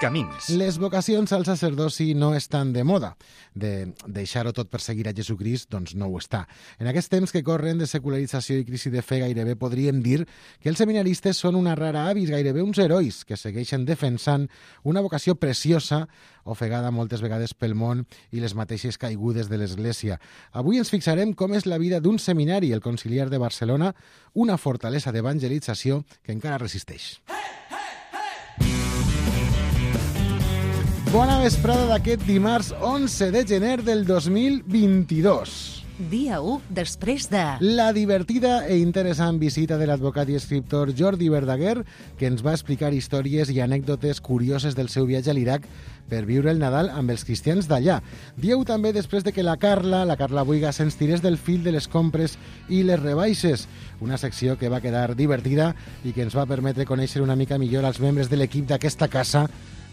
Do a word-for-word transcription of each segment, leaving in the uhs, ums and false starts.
Camins. Les vocacions al sacerdoci no estan de moda. De deixar-ho tot per seguir a Jesucrist, doncs no ho està. En aquests temps que corren de secularització i crisi de fe, gairebé podríem dir que els seminaristes són una rara avis, gairebé uns herois que segueixen defensant una vocació preciosa, ofegada moltes vegades pel món i les mateixes caigudes de l'Església. Avui ens fixarem com és la vida d'un seminari, el Conciliar de Barcelona, una fortalesa d'evangelització que encara resisteix. Bona vesprada d'aquest dimarts onze de gener del dos mil vint-i-dos. Dia u després de... La divertida e interessant visita de l'advocat i escriptor Jordi Verdaguer, que ens va explicar històries i anècdotes curioses del seu viatge a l'Iraq per viure el Nadal amb els cristians d'allà. Dia u també després de que la Carla, la Carla Buiga, se'ns tirés del fil de les compres i les rebaixes, una secció que va quedar divertida i que ens va permetre conèixer una mica millor els membres de l'equip d'aquesta casa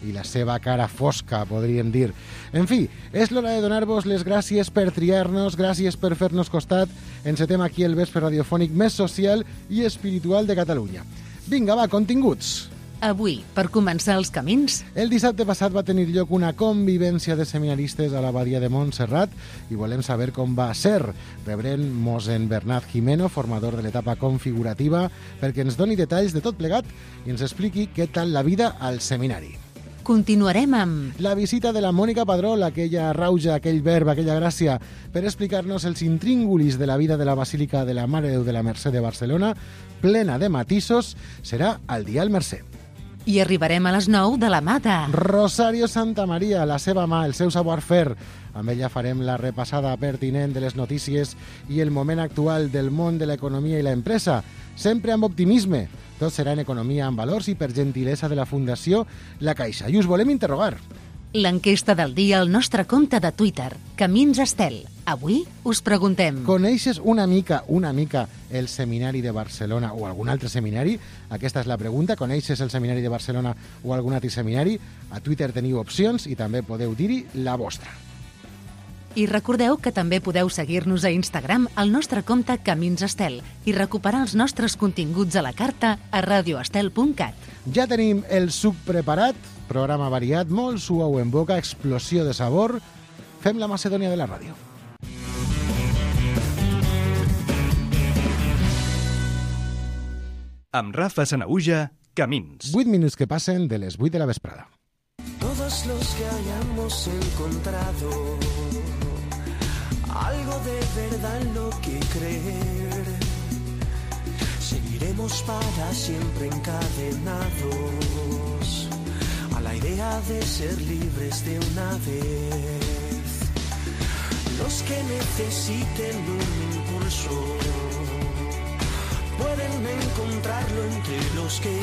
i la seva cara fosca, podríem dir. En fi, és l'hora de donar-vos les gràcies per triar-nos, gràcies per fer-nos costat. Encetem aquí el vespre radiofònic més social i espiritual de Catalunya. Vinga, va, continguts. Avui, per començar els camins... El dissabte passat va tenir lloc una convivència de seminaristes a l'abadia de Montserrat i volem saber com va ser. Rebrem mossèn Bernat Jimeno, formador de l'etapa configurativa, perquè ens doni detalls de tot plegat i ens expliqui què tal la vida al seminari. Continuarem amb... La visita de la Mònica Padrol, aquella rauja, aquell verb, aquella gràcia, per explicar-nos els intríngulis de la vida de la Basílica de la Mare de Déu de la Mercè de Barcelona, plena de matisos, serà al Dial Mercè. I arribarem a les nou de la mà de... Rosario Santamaria, la seva mà, el seu savoir-faire. Amb ella farem la repassada pertinent de les notícies i el moment actual del món de l'economia i l'empresa, sempre amb optimisme. Tot serà en economia amb valors i per gentilesa de la Fundació La Caixa. I us volem interrogar. L'enquesta del dia al nostre compte de Twitter, Camins Estel. Avui us preguntem... Coneixes una mica, una mica el Seminari de Barcelona o algun altre seminari? Aquesta és la pregunta. Coneixes el Seminari de Barcelona o algun altre seminari? A Twitter teniu opcions i també podeu dir-hi la vostra. I recordeu que també podeu seguir-nos a Instagram al nostre compte Camins Estel i recuperar els nostres continguts a la carta a radioestel punt cat. Ja tenim el suc preparat, programa variat, molt suau en boca, explosió de sabor. Fem la Macedònia de la ràdio. Amb Rafa Sanahuja, Camins. vuit minuts que passen de les vuit de la vesprada. Todos los que hayamos encontrado algo de verdad en lo que creer, seguiremos para siempre encadenados a la idea de ser libres de una vez. Los que necesiten un impulso pueden encontrarlo entre los que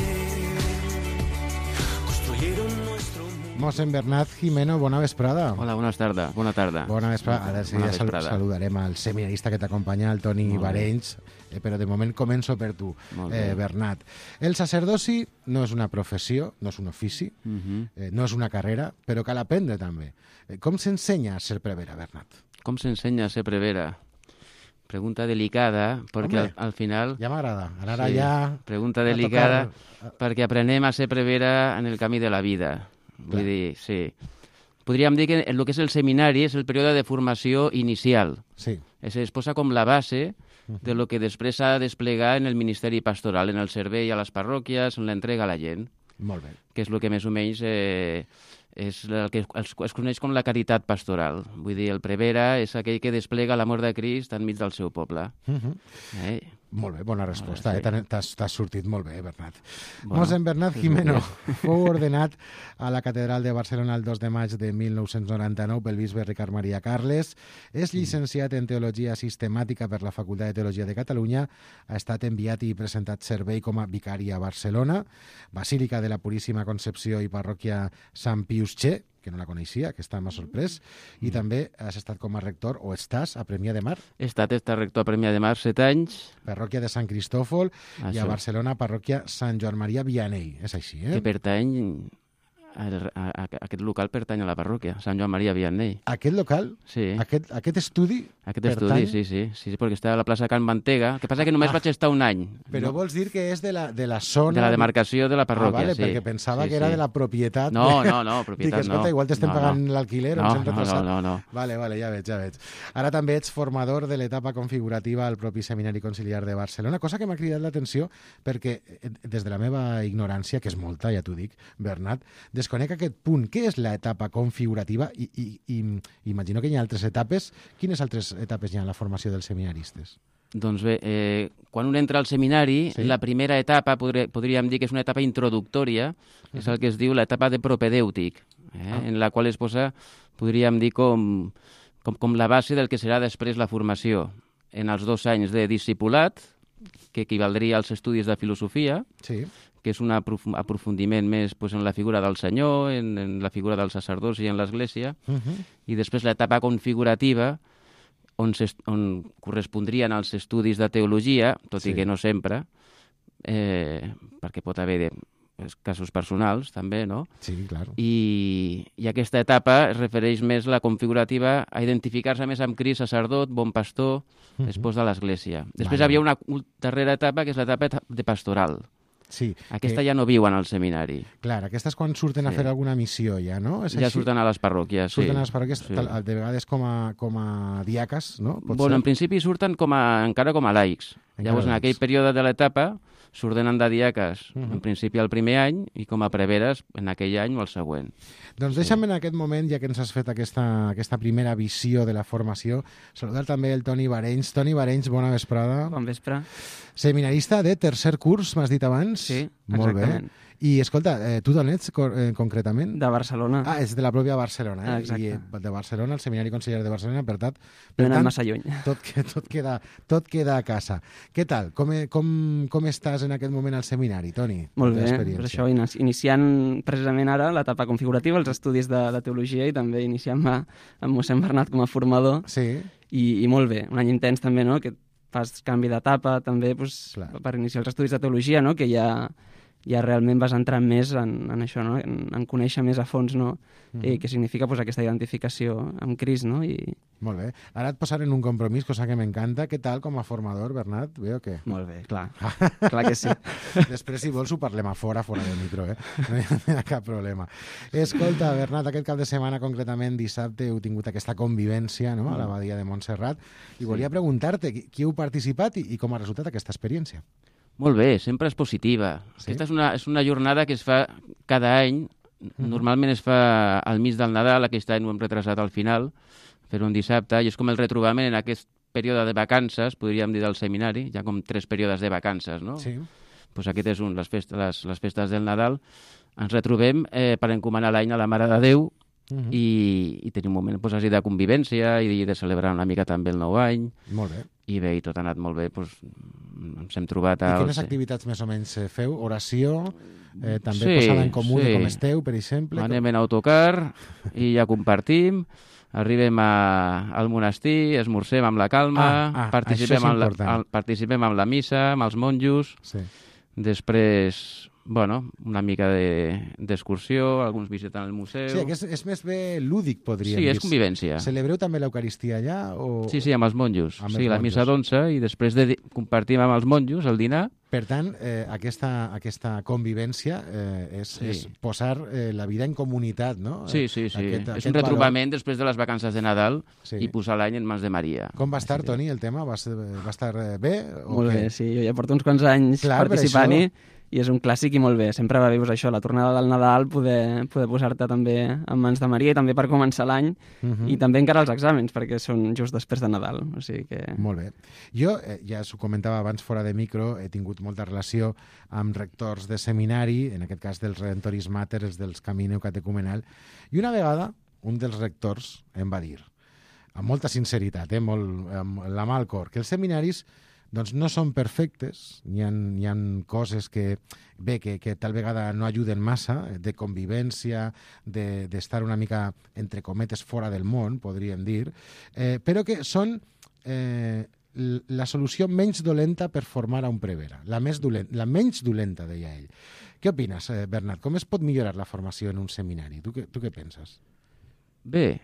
construyeron nuestro... Mossèn Bernat Jimeno, bona vesprada. Hola, bona tarda. Bona tarda. Bona vesprada. Ara sí, ja sal saludarem al seminarista que t'acompanya, el Toni Barenys, eh, però de moment començo per tu, eh, Bernat. El sacerdoci no és una professió, no és un ofici, uh -huh. eh, no és una carrera, però cal aprendre també. Eh, com s'ensenya a ser prevera, Bernat? Com s'ensenya a ser prevera? Pregunta delicada, perquè al, al final... Ja m'agrada. Ara sí, ja... Pregunta delicada, tocar... perquè aprenem a ser prevera en el camí de la vida. Vull dir, sí. Podríem dir que el que és el seminari és el període de formació inicial. Sí. Es, es posa com la base de lo que després s'ha de desplegar en el ministeri pastoral, en el servei a les parròquies, en l'entrega a la gent. Molt bé. Que és el que més o menys eh, és el que es, es coneix com la caritat pastoral. Vull dir, el prevera és aquell que desplega l'amor de Crist enmig del seu poble. Uh -huh. eh? Molt bé, bona resposta. Sí. Eh? T'has sortit molt bé, Bernat. Bueno, Mossèn Bernat Jimeno fou ordenat a la Catedral de Barcelona el dos de maig de mil nou-cents noranta-nou pel bisbe Ricard Maria Carles. És llicenciat en Teologia Sistemàtica per la Facultat de Teologia de Catalunya. Ha estat enviat i presentat servei com a vicari a Barcelona, Basílica de la Puríssima Concepció i Parròquia Sant Pius Xe, que no la coneixia, que està m'ha sorprès, i mm. també has estat com a rector, o estàs, a Premià de Mar. He estat, he estat rector a Premià de Mar set anys. Parròquia de Sant Cristòfol, Això. I a Barcelona, parròquia Sant Joan Maria Vianney. És així, eh? Que pertany el, a, a, aquest local pertany a la parròquia, Sant Joan Maria Vianney. Aquest local? Sí. Aquest, aquest estudi? Aquest pertany... estudi, sí, sí, sí, perquè està a la plaça Can Mantega. El que passa que només ah, vaig estar un any. Però no? vols dir que és de la, de la zona... De la demarcació de la parròquia, ah, vale, sí. perquè pensava sí, que era sí. de la propietat. No, de... no, no, propietat Dic, escolta, no. igual t'estem no, pagant no. l'alquiler, no, ens hem no, retrasat. no, no, no. Vale, vale, ja veig, ja veig. Ara també ets formador de l'etapa configurativa al propi Seminari Conciliar de Barcelona, cosa que m'ha cridat l'atenció perquè des de la meva ignorància, que és molta, ja t'ho dic, Bernat, desconec aquest punt. Què és l'etapa configurativa? I, i, i imagino que hi ha altres etapes. Quines altres etapes hi ha en la formació dels seminaristes? Doncs bé, eh, quan un entra al seminari, sí. la primera etapa, podré, podríem dir que és una etapa introductòria, uh-huh. és el que es diu l'etapa de propedèutic, eh, ah. en la qual es posa, podríem dir, com, com, com la base del que serà després la formació. En els dos anys de discipulat, que equivaldria als estudis de filosofia, sí. que és un aprofundiment més pues, en la figura del Senyor, en, en la figura del sacerdoci i en l'Església, uh-huh. i després l'etapa configurativa, on, on correspondrien els estudis de teologia, tot sí. i que no sempre, eh, perquè pot haver de, casos personals, també, no? Sí, clar. I, I aquesta etapa es refereix més, la configurativa, a identificar-se més amb Crist, sacerdot, bon pastor, uh-huh. espòs de l'Església. Després vale. Havia una darrera etapa, que és l'etapa de pastoral. Sí, aquesta que... ja no viuen al seminari. Clar, aquestes quan surten sí. a fer alguna missió ja, no? És ja així? surten a les parròquies, surten sí. Surten a les parròquies, sí. de vegades com a, com a diaques, no? Pot bueno, ser? En principi surten com a, encara com a laics. Encara Llavors, en aquell període de l'etapa, s'ordenen de diaques, uh -huh. en principi el primer any, i com a preveres en aquell any o el següent. Doncs sí. deixa'm en aquest moment, ja que ens has fet aquesta, aquesta primera visió de la formació, saludar també el Toni Barenys. Toni Barenys, bona vesprada. Bon vespre. Seminarista de tercer curs, m'has dit abans? Sí, molt exactament. Bé. I, escolta, eh, tu d'on ets eh, concretament? De Barcelona. Ah, és de la pròpia Barcelona, eh? Exacte. I de Barcelona, el Seminari Conciliar de Barcelona, per tant... Per no tant, massa lluny. Tot, tot, queda, tot queda a casa. Què tal? Com, com, com estàs en aquest moment al seminari, Toni? Molt bé, per això iniciant precisament ara l'etapa configurativa, els estudis de, de teologia, i també iniciant-me amb mossèn Bernat com a formador. Sí. I, i molt bé, un any intens també, no?, que fas canvi d'etapa també pues, per iniciar els estudis de teologia, no?, que ja... ja realment vas entrar més en, en això, no? en, en conèixer més a fons, no? Mm-hmm. eh, què significa pues, aquesta identificació amb Crist, no? I... Molt bé. Ara et posaré en un compromís, cosa que m'encanta. Què tal com a formador, Bernat? Bé o què? Molt bé, clar. Clar que sí. Després, si vols, ho parlem a fora, fora del micro, eh? No hi ha, no hi ha cap problema. Escolta, Bernat, aquest cap de setmana, concretament dissabte, heu tingut aquesta convivència, no?, a l'abadia de Montserrat, i volia sí. preguntar-te qui, qui heu participat i, i com ha resultat aquesta experiència. Molt bé, sempre és positiva. Sí? Aquesta és una, és una jornada que es fa cada any. Mm-hmm. Normalment es fa al mig del Nadal, aquest any ho hem retrasat al final, fer un dissabte, i és com el retrobament en aquest període de vacances, podríem dir, del seminari. Hi ha com tres períodes de vacances, no? Sí. Pues aquest és un, les festes, les, les festes del Nadal. Ens retrobem eh, per encomanar l'any a la Mare de Déu, uh-huh. i, i tenir un moment pues, així de convivència i de celebrar una mica també el nou any. Molt bé. I bé, i tot ha anat molt bé, doncs ens hem trobat... I quines activitats més o menys feu? Oració? Eh, també sí, posada en comú sí. de com esteu, per exemple? Anem en autocar i ja compartim, arribem a, al monestir, esmorzem amb la calma, ah, ah, participem, amb la, al, participem amb la missa, amb els monjos, sí. després... Bueno, una mica d'excursió, de, alguns visiten el museu... Sí, que és, és més bé lúdic, podríem dir. Sí, és convivència. Celebreu també l'Eucaristia allà? O... Sí, sí, amb els monjos. Amb sí, els la missa d'onze, i després de compartim amb els monjos el dinar. Per tant, eh, aquesta, aquesta convivència eh, és, sí. és posar eh, la vida en comunitat, no? Sí, sí, sí. Aquest, és aquest un retrobament valor... després de les vacances de Nadal, sí. i posar l'any en mans de Maria. Com va estar, Toni, el tema? Va, va estar bé? O molt què? bé, sí. Jo ja porto uns quants anys Clar, participant-hi. I és un clàssic i molt bé. Sempre va bé això, la tornada del Nadal, poder, poder posar-te també en mans de Maria, i també per començar l'any, uh-huh. i també encara els exàmens, perquè són just després de Nadal. O sigui que... Molt bé. Jo, eh, ja s'ho comentava abans fora de micro, he tingut molta relació amb rectors de seminari, en aquest cas dels Redentoris Mater, els dels Camino Catecumenal, i una vegada un dels rectors em va dir, amb molta sinceritat, eh, molt, amb la mà al cor, que els seminaris doncs no són perfectes, hi ha, hi ha coses que, bé, que, que tal vegada no ajuden massa, de convivència, de, d'estar una mica, entre cometes, fora del món, podríem dir, eh, però que són eh, la solució menys dolenta per formar a un prevere, la, més dolent, la menys dolenta, deia ell. Què opines, eh, Bernat? Com es pot millorar la formació en un seminari? Tu, tu què penses? Bé,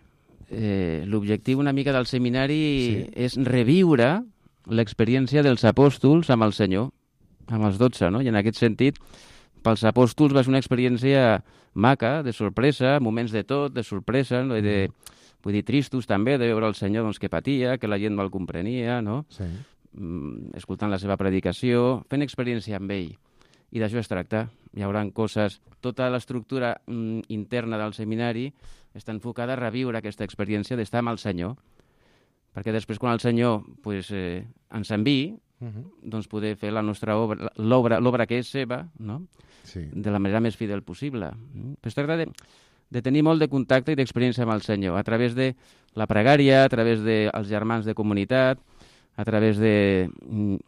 eh, l'objectiu una mica del seminari sí. és reviure l'experiència dels apòstols amb el Senyor, amb els dotze, no? I en aquest sentit, pels apòstols va ser una experiència maca, de sorpresa, moments de tot, de sorpresa, no? de, vull dir, tristos també, de veure el Senyor doncs, que patia, que la gent no el comprenia, no? Sí. Mm, escoltant la seva predicació, fent experiència amb ell. I d'això es tracta. Hi haurà coses... Tota l'estructura mm, interna del seminari està enfocada a reviure aquesta experiència d'estar amb el Senyor, perquè després, quan el Senyor pues, eh, ens enviï, uh -huh. doncs poder fer la nostra obra, l'obra, l'obra que és seva, no? Sí. De la manera més fidel possible. Però es tracta de, de tenir molt de contacte i d'experiència amb el Senyor, a través de la pregària, a través dels germans de comunitat, a través de...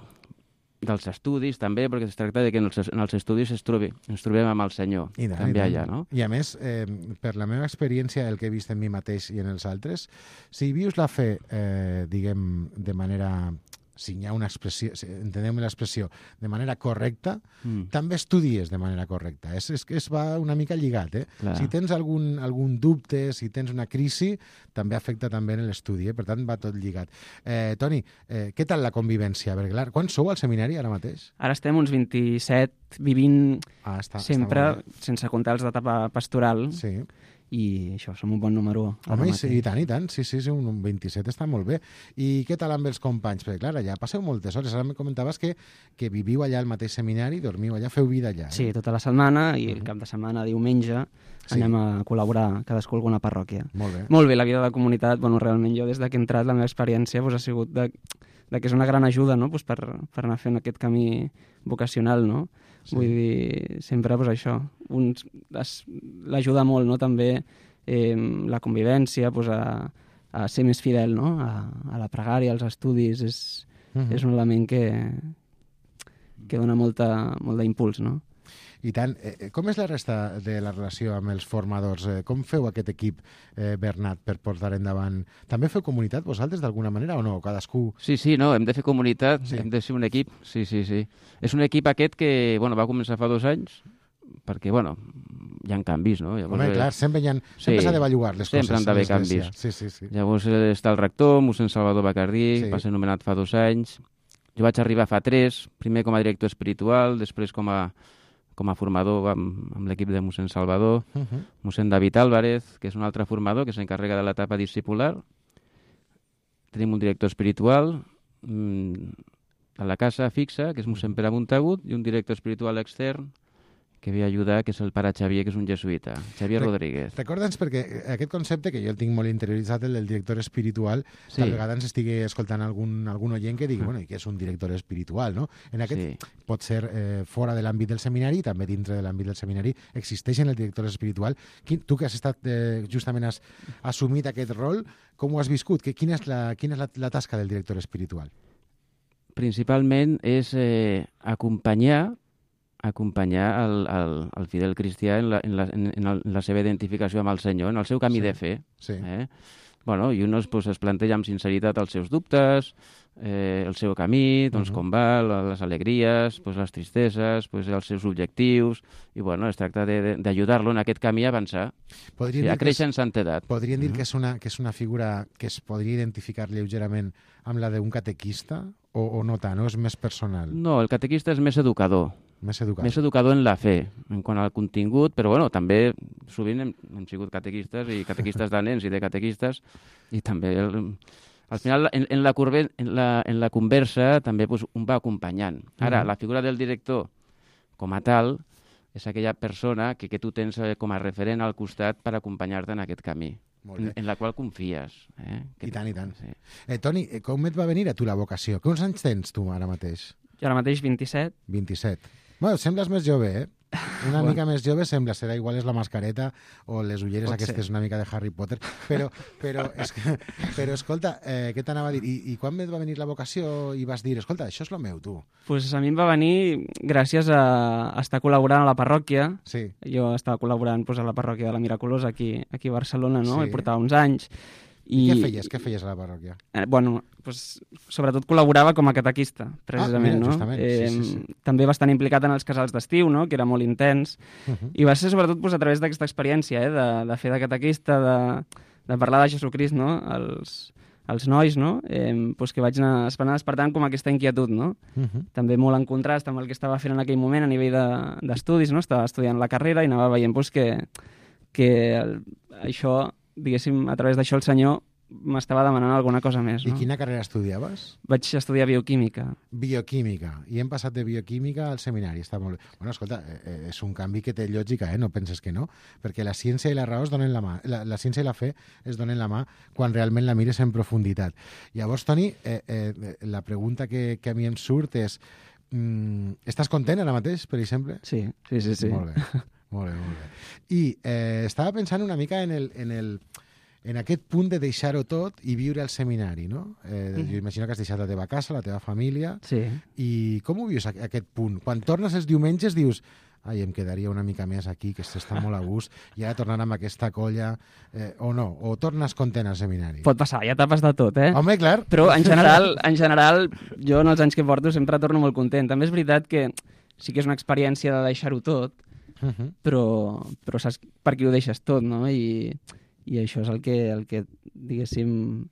dels estudis també, perquè es tracta de que en els, en els estudis es trobi, ens trobem amb el Senyor, I tant, també allà, no? I a més, eh, per la meva experiència, el que he vist en mi mateix i en els altres, si vius la fe, eh, diguem, de manera... si hi ha una expressió, si entenem l'expressió, de manera correcta, mm. també estudies de manera correcta. És, és que es va una mica lligat, eh? Clar. Si tens algun, algun dubte, si tens una crisi, també afecta també en l'estudi, eh? Per tant, va tot lligat. Eh, Toni, eh, què tal la convivència? Perquè, clar, quan sou al seminari ara mateix? Ara estem uns vint-i-set, vivint ah, està, sempre, està sense comptar els d'etapa pastoral. Sí. I això, som un bon número. Home, sí, i tant, i tant. Sí, sí, sí, un vint-i-set està molt bé. I què tal amb els companys? Perquè, clar, allà passeu moltes hores. Ara em comentaves que, que viviu allà al mateix seminari, dormiu allà, feu vida allà. Eh? Sí, tota la setmana, i el cap de setmana, diumenge, sí. anem a col·laborar cadascú a alguna parròquia. Molt bé. Molt bé, la vida de la comunitat, bueno, realment jo des de que he entrat la meva experiència pues, ha sigut de, de que és una gran ajuda, no?, pues, per, per anar fent aquest camí vocacional, no? Sí. Vull dir, sempre, pues, això, uns, es, l'ajuda molt, no?, també eh, la convivència, pues, a, a ser més fidel, no?, a, a la pregària, als estudis, és, uh-huh. és un element que, que dona molta, molt d'impuls, no? I tant. Eh, com és la resta de la relació amb els formadors? Eh, com feu aquest equip, eh, Bernat, per portar endavant? També feu comunitat vosaltres d'alguna manera o no? Cadascú... Sí, sí, no, hem de fer comunitat, sí. hem de ser un equip, sí, sí, sí. És un equip aquest que, bueno, va començar fa dos anys, perquè, bueno, hi ha canvis, no? Llavors, home, clar, sempre s'ha sí, de bellugar les sempre coses. Sempre han d'haver canvis. Sí, sí, sí. Llavors està el rector, mossèn Salvador Bacardí, sí. va ser nomenat fa dos anys. Jo vaig arribar fa tres, primer com a director espiritual, després com a com a formador amb, amb l'equip de mossèn Salvador, uh-huh. mossèn David Álvarez, que és un altre formador que s'encarrega de l'etapa discipular. Tenim un director espiritual mmm, a la casa fixa, que és mossèn Pere Montagut, i un director espiritual extern que ve a ajudar, que és el pare Xavier, que és un jesuïta, Xavier Re Rodríguez. Recorda'ns, perquè aquest concepte, que jo el tinc molt interioritzat, el del director espiritual, sí. tal vegada ens estigui escoltant algun, algun oient que digui, bueno, i què és un director espiritual, no? En aquest sí. pot ser eh, fora de l'àmbit del seminari, també dintre de l'àmbit del seminari existeixen el director espiritual. Quin, tu que has estat, eh, justament has assumit aquest rol, com ho has viscut? Que, quina és, la, quina és la, la tasca del director espiritual? Principalment és eh, acompanyar acompanyar el, el, el fidel cristià en la, en, la, en, el, en la seva identificació amb el Senyor, en el seu camí sí. de fe. Sí. Eh? Bueno, i un pues, es planteja amb sinceritat els seus dubtes, eh, el seu camí, doncs, uh-huh. com va, les alegries, pues, les tristeses, pues, els seus objectius, i bueno, es tracta d'ajudar-lo en aquest camí a avançar, sí, a créixer en santedat. Podríem dir uh-huh. que, és una, que és una figura que es podria identificar lleugerament amb la d'un catequista, o, o no tant, o és més personal? No, el catequista és més educador. Més educador. Més educador en la fe, en quant al contingut, però bueno, també sovint hem, hem sigut catequistes i catequistes de nens i de catequistes, i també el, al final en, en, la curve, en, la, en la conversa també pues, un va acompanyant. Ara, uh-huh. la figura del director com a tal és aquella persona que, que tu tens com a referent al costat per acompanyar-te en aquest camí, en, en la qual confies. Eh? I tant, i tant. Sí. Eh, Toni, com et va venir a tu la vocació? Quants anys tens tu ara mateix? Jo ara mateix vint-i-set. vint-i-set. Bueno, sembles més jove, eh? Una mica més jove sembla, serà igual és la mascareta o les ulleres Pot aquestes ser. Una mica de Harry Potter, però, però, és que, però escolta, eh, què t'anava a dir? I, I quan et va venir la vocació i vas dir, escolta, això és el meu, tu? Pues a mi em va venir gràcies a estar col·laborant a la parròquia. Sí. Jo estava col·laborant pues, a la parròquia de la Miraculosa aquí, aquí a Barcelona, no? Sí. He portat uns anys. I, I què feies? Què feies a la parròquia? Eh, bueno, pues, sobretot col·laborava com a catequista, precisament, ah, mira, no? justament. Eh, sí, sí, sí. També bastant implicat en els casals d'estiu, no? Que era molt intens. Uh -huh. I va ser sobretot pues, a través d'aquesta experiència, eh? de, de fer de catequista, de, de parlar de Jesucrist, no? Els, els nois, no? Eh, pues que vaig anar, anar despertant com aquesta inquietud, no? Uh -huh. També molt en contrast amb el que estava fent en aquell moment a nivell d'estudis, de, no? Estava estudiant la carrera i anava veient pues, que, que el, això, diguéssim, a través d'això el senyor m'estava demanant alguna cosa més. No? I quina carrera estudiaves? Vaig estudiar bioquímica. Bioquímica. I hem passat de bioquímica al seminari. Està molt bé. Bueno, escolta, eh, és un canvi que té lògica, eh? No penses que no, perquè la ciència i la raó es donen la mà. La, la ciència i la fe es donen la mà quan realment la mires en profunditat. Llavors, Toni, eh, eh, la pregunta que, que a mi em surt és mm, estàs content ara mateix, per exemple? Sí, sí, sí. sí. Molt bé, molt bé, molt bé. I eh, estava pensant una mica en el... En el en aquest punt de deixar-ho tot i viure al seminari, no? Eh, mm. Jo imagino que has deixat la teva casa, la teva família, sí. I com ho vius, aquest punt? Quan tornes els diumenges dius ai, em quedaria una mica més aquí, que s'està molt a gust, i ara tornar amb aquesta colla, eh, o no? O tornes content al seminari? Pot passar, hi ha etapes de tot, eh? Home, clar. Però, en general, en general, jo en els anys que porto sempre torno molt content. També és veritat que sí que és una experiència de deixar-ho tot, uh -huh. però, però saps per qui ho deixes tot, no? I... i això és el que, el que diguéssim,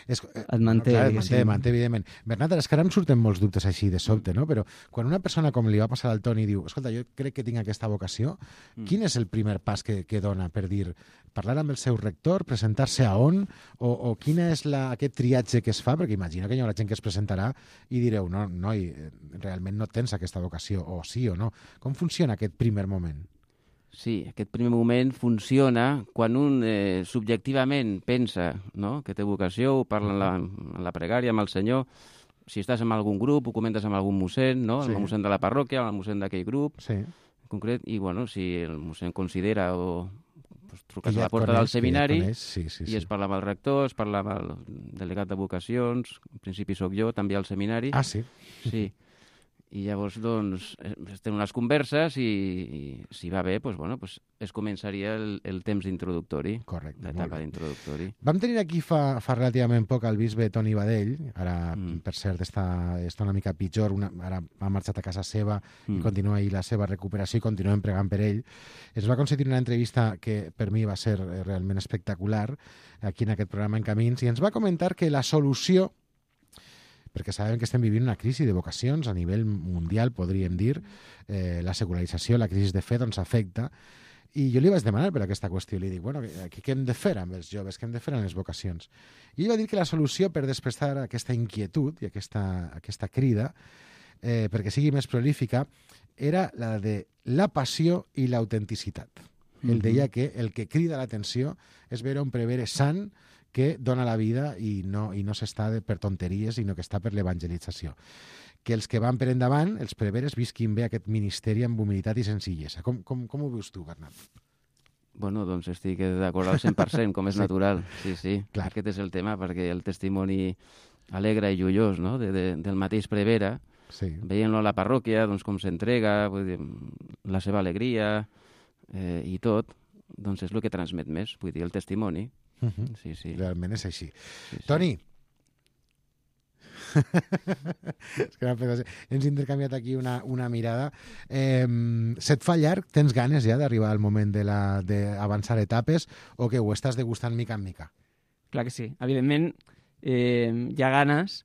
és, et manté. Clar, et manté, manté, evidentment. Bernat, és que ara em surten molts dubtes així de sobte, no? Però quan una persona com li va passar al Toni diu, escolta, jo crec que tinc aquesta vocació, mm. quin és el primer pas que, que dona per dir, parlar amb el seu rector, presentar-se a on, o, o quin és la, aquest triatge que es fa? Perquè imagino que hi haurà gent que es presentarà i direu, no, noi, realment no tens aquesta vocació, o sí o no. Com funciona aquest primer moment? Sí, aquest primer moment funciona quan un eh, subjectivament pensa, no?, que té vocació, ho parla en la, en la pregària amb el Senyor. Si estàs en algun grup, ho comentes amb algun mossèn, no? Sí. El mossèn de la parròquia, el mossèn d'aquell grup, sí. en concret, i bueno, si el mossèn considera o pues, truques ja a la porta coneix, del seminari ja sí, sí, i sí. es parla amb el rector, es parla amb el delegat de vocacions, en principi sóc jo, també al seminari. Ah, sí? Sí. I llavors, doncs, es tenen unes converses i, i si va bé, doncs, bueno, doncs es començaria el, el temps d'introductori. Correcte. L'etapa d'introductori. Vam tenir aquí fa, fa relativament poc el bisbe Toni Badell, ara, mm. per cert, està, està una mica pitjor, una, ara ha marxat a casa seva mm. i continua ahí la seva recuperació i continuem pregant per ell. Es va concedir una entrevista que per mi va ser realment espectacular aquí en aquest programa En Camins i ens va comentar que la solució, perquè sabem que estem vivint una crisi de vocacions a nivell mundial, podríem dir, eh, la secularització, la crisi de fe, doncs afecta. I jo li vaig demanar per aquesta qüestió, li dic, bueno, què, què hem de fer amb els joves, què hem de fer amb les vocacions? I ell va dir que la solució per despertar aquesta inquietud i aquesta, aquesta crida, eh, perquè sigui més prolífica, era la de la passió i l'autenticitat. Mm-hmm. Ell deia que el que crida l'atenció és veure un prevere sant que dona la vida i no, i no s'està per tonteries, sinó que està per l'evangelització. Que els que van per endavant, els preveres, visquin bé aquest ministeri amb humilitat i senzillesa. Com, com, com ho veus tu, Bernat? Bueno, doncs estic d'acord al cent per cent, com és sí. natural. Sí, sí, clar. Aquest és el tema, perquè el testimoni alegre i joiós, no?, de, de, del mateix prevere, sí. veient-lo a la parròquia, doncs com s'entrega, la seva alegria eh, i tot, doncs és el que transmet més, vull dir, el testimoni. Uh -huh. Sí, sí. Realment és així. Sí, sí. Toni, és que hem intercanviat aquí una, una mirada. Eh, se't fa llarg? Tens ganes ja d'arribar al moment d'avançar etapes o que ho estàs degustant mica en mica? Clar que sí. Evidentment, eh, hi ha ganes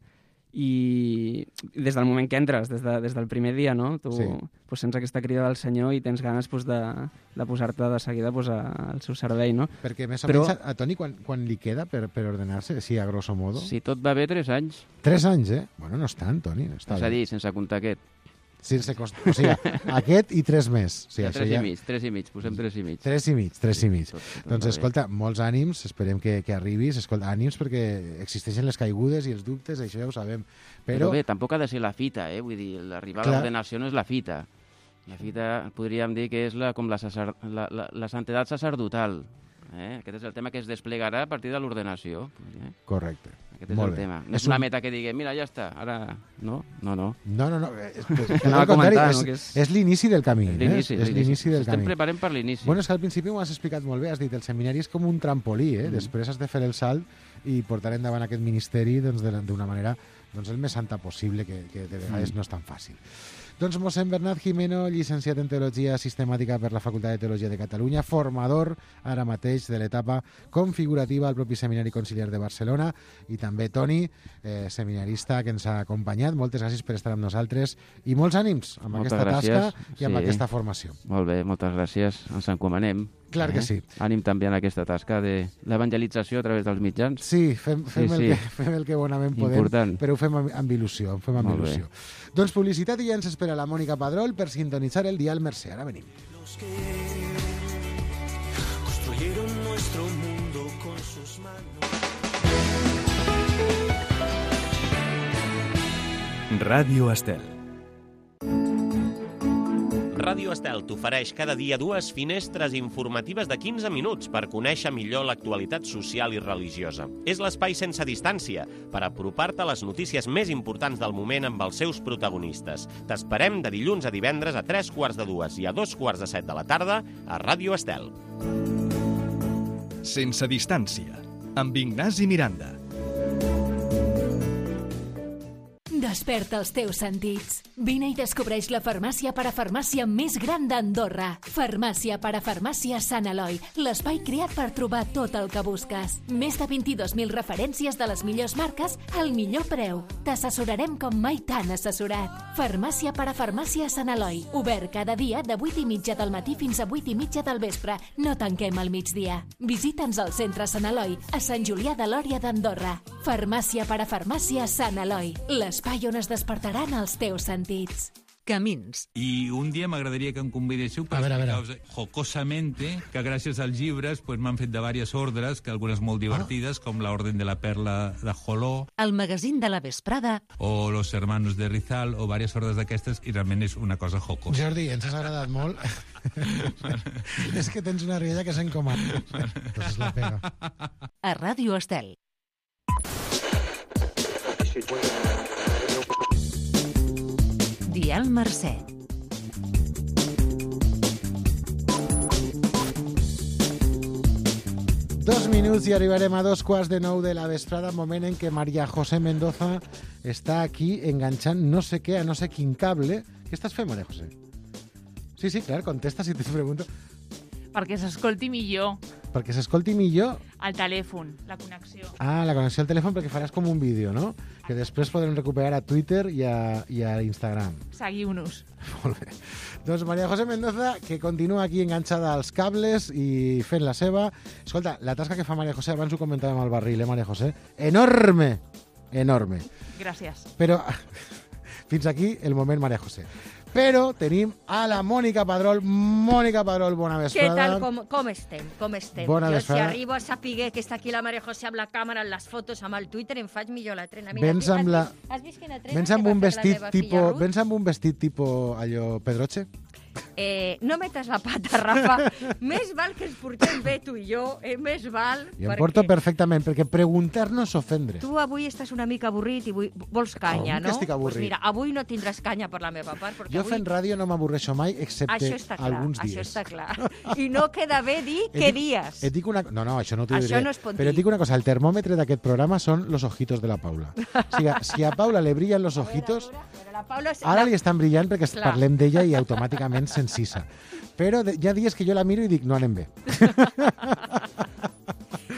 i des del moment que entres, des, de, des del primer dia, no? Tu sí. pues, sents aquesta crida del Senyor i tens ganes pues, de, de posar-te de seguida pues, a, al seu servei, no? Perquè més o Però... menys a, a Toni quan, quan li queda per, per ordenar-se, sí, a grosso modo? Si tot va bé, tres anys. Tres anys, eh? Bueno, no és tant, Toni. No està és a dir, sense comptar aquest. Sense cost... O sigui, aquest i tres més. O sigui, ja, tres ja... i mig, tres i mig, posem tres i mig. Tres i mig, tres sí, i mig. Tot, tot doncs escolta, molts ànims, esperem que, que arribis, escolta, ànims perquè existeixen les caigudes i els dubtes, això ja ho sabem. Però, Però bé, tampoc ha de ser la fita, eh? Vull dir, l'arribar a l'ordenació no és la fita. La fita podríem dir que és la, com la, sacer... la, la, la santedat sacerdotal. Eh? Aquest és el tema que es desplegarà a partir de l'ordenació. Eh? Correcte. Aquest és el tema. No és una meta que digui, mira, ja està, ara... No, no, no. No, no, no. És, és, al contrari, és, és, és l'inici del camí. És l'inici, eh? és l'inici del Estem camí. preparant per l'inici. Bueno, és que al principi m'ho has explicat molt bé, has dit, el seminari és com un trampolí, eh? Mm. Després has de fer el salt i portar endavant aquest ministeri doncs, d'una manera doncs, el més santa possible, que, que de vegades mm. no és tan fàcil. Doncs mossèn Bernat Jimeno, llicenciat en Teologia Sistemàtica per la Facultat de Teologia de Catalunya, formador ara mateix de l'etapa configurativa al propi Seminari Conciliar de Barcelona, i també Toni, eh, seminarista que ens ha acompanyat. Moltes gràcies per estar amb nosaltres i molts ànims amb moltes aquesta gràcies. tasca i amb sí. aquesta formació. Molt bé, moltes gràcies. Ens encomanem. Clar que sí. Eh? Ànim també en aquesta tasca de l'evangelització a través dels mitjans. Sí, fem, fem, sí, el, sí. Que, fem el que bonament podem, Important. però ho fem amb, amb il·lusió. Ho fem amb Molt il·lusió. Bé. Doncs publicitat i ja ens espera la Mònica Padrol per sintonitzar el dial Mercè. Ara venim. Los que construyeron nuestro mundo con sus manos. Ràdio Estel. Ràdio Estel t'ofereix cada dia dues finestres informatives de quinze minuts per conèixer millor l'actualitat social i religiosa. És l'espai sense distància per apropar-te a les notícies més importants del moment amb els seus protagonistes. T'esperem de dilluns a divendres a tres quarts de dues i a dos quarts de set de la tarda a Ràdio Estel. Sense distància, amb Ignasi Miranda. Desperta els teus sentits. Vine i descobreix la farmàcia parafarmàcia més gran d'Andorra. Farmàcia parafarmàcia Sant Eloi, l'espai creat per trobar tot el que busques. Més de vint-i-dos mil referències de les millors marques al millor preu. T'assessorarem com mai t'han assessorat. Farmàcia parafarmàcia Sant Eloi, obert cada dia de vuit i mitja del matí fins a vuit i mitja del vespre. No tanquem al migdia. Visita'ns al centre Sant Eloi, a Sant Julià de Lòria d'Andorra. Farmàcia parafarmàcia Sant Eloi, l'espai on es despertaran els teus sentits. Camins. I un dia m'agradaria que em convidéssiu per explicar-vos jocosamente que gràcies als llibres pues, m'han fet de diverses ordres, que algunes molt divertides, ah. com la Orden de la Perla de Joló, el magazín de la vesprada, o Los Hermanos de Rizal, o diverses ordres d'aquestes, i realment és una cosa jocosa. Jordi, ens has agradat molt. És que tens una rialla que s'encomana. Pues la pega. A Ràdio Estel. Dial Mercè. Dos minuts i arribarem a dos quarts de nou de la vesprada, moment en què María José Mendoza està aquí enganxant no sé què a no sé quin cable. Què estàs fent, María José? Sí, sí, clar, contesta si te pregunto. Perquè s'escolti millor. Perquè s'escolti millor? El telèfon, la connexió. Ah, la connexió al telèfon, perquè faràs com un vídeo, no? Que després podrem recuperar a Twitter i a, i a Instagram. Seguiu-nos. Molt bé. Doncs María José Mendoza, que continua aquí enganxada als cables i fent la seva. Escolta, la tasca que fa María José, abans ho comentàvem al barril, eh, María José? Enorme! Enorme. Gràcies. Però fins aquí el moment María José. Però tenim a la Mònica Padrol. Mònica Padrol, bona vesprada. Què tal? Com, com estem? Com estem? Bona jo, vesprada. si arribo a saber que està aquí la Maria José amb la càmera, amb les fotos, amb el Twitter, em faig millor la trena. Mira, vens amb, la... has, has vist quina trena? Vens amb un vestit tipo... Vens amb un vestit tipo allò Pedroche? Eh, no metes la pata, Rafa. Més val que ens portem bé tu i jo, eh? Més val... Jo em porto perfectament, perquè preguntar no és ofendre. Tu avui estàs una mica avorrit i vull... vols canya, oh, no? Que estic avorrit. Pues mira, avui no tindràs canya per la meva part, perquè jo avui... fent ràdio no m'avorreixo mai, excepte clar, alguns dies. Això està clar. I no queda bé dir què dies. Et dic una... No, no, això no t'ho diré. Això no es pot dir. Però et dic una cosa, el termòmetre d'aquest programa són los ojitos de la Paula. O sigui, si a Paula le brillen los ojitos, a veure, a veure, la Paula... ara li estan brillant perquè clar. Parlem d'ella i automàticament s'encisa. Però hi ha dies que jo la miro i dic, no anem bé.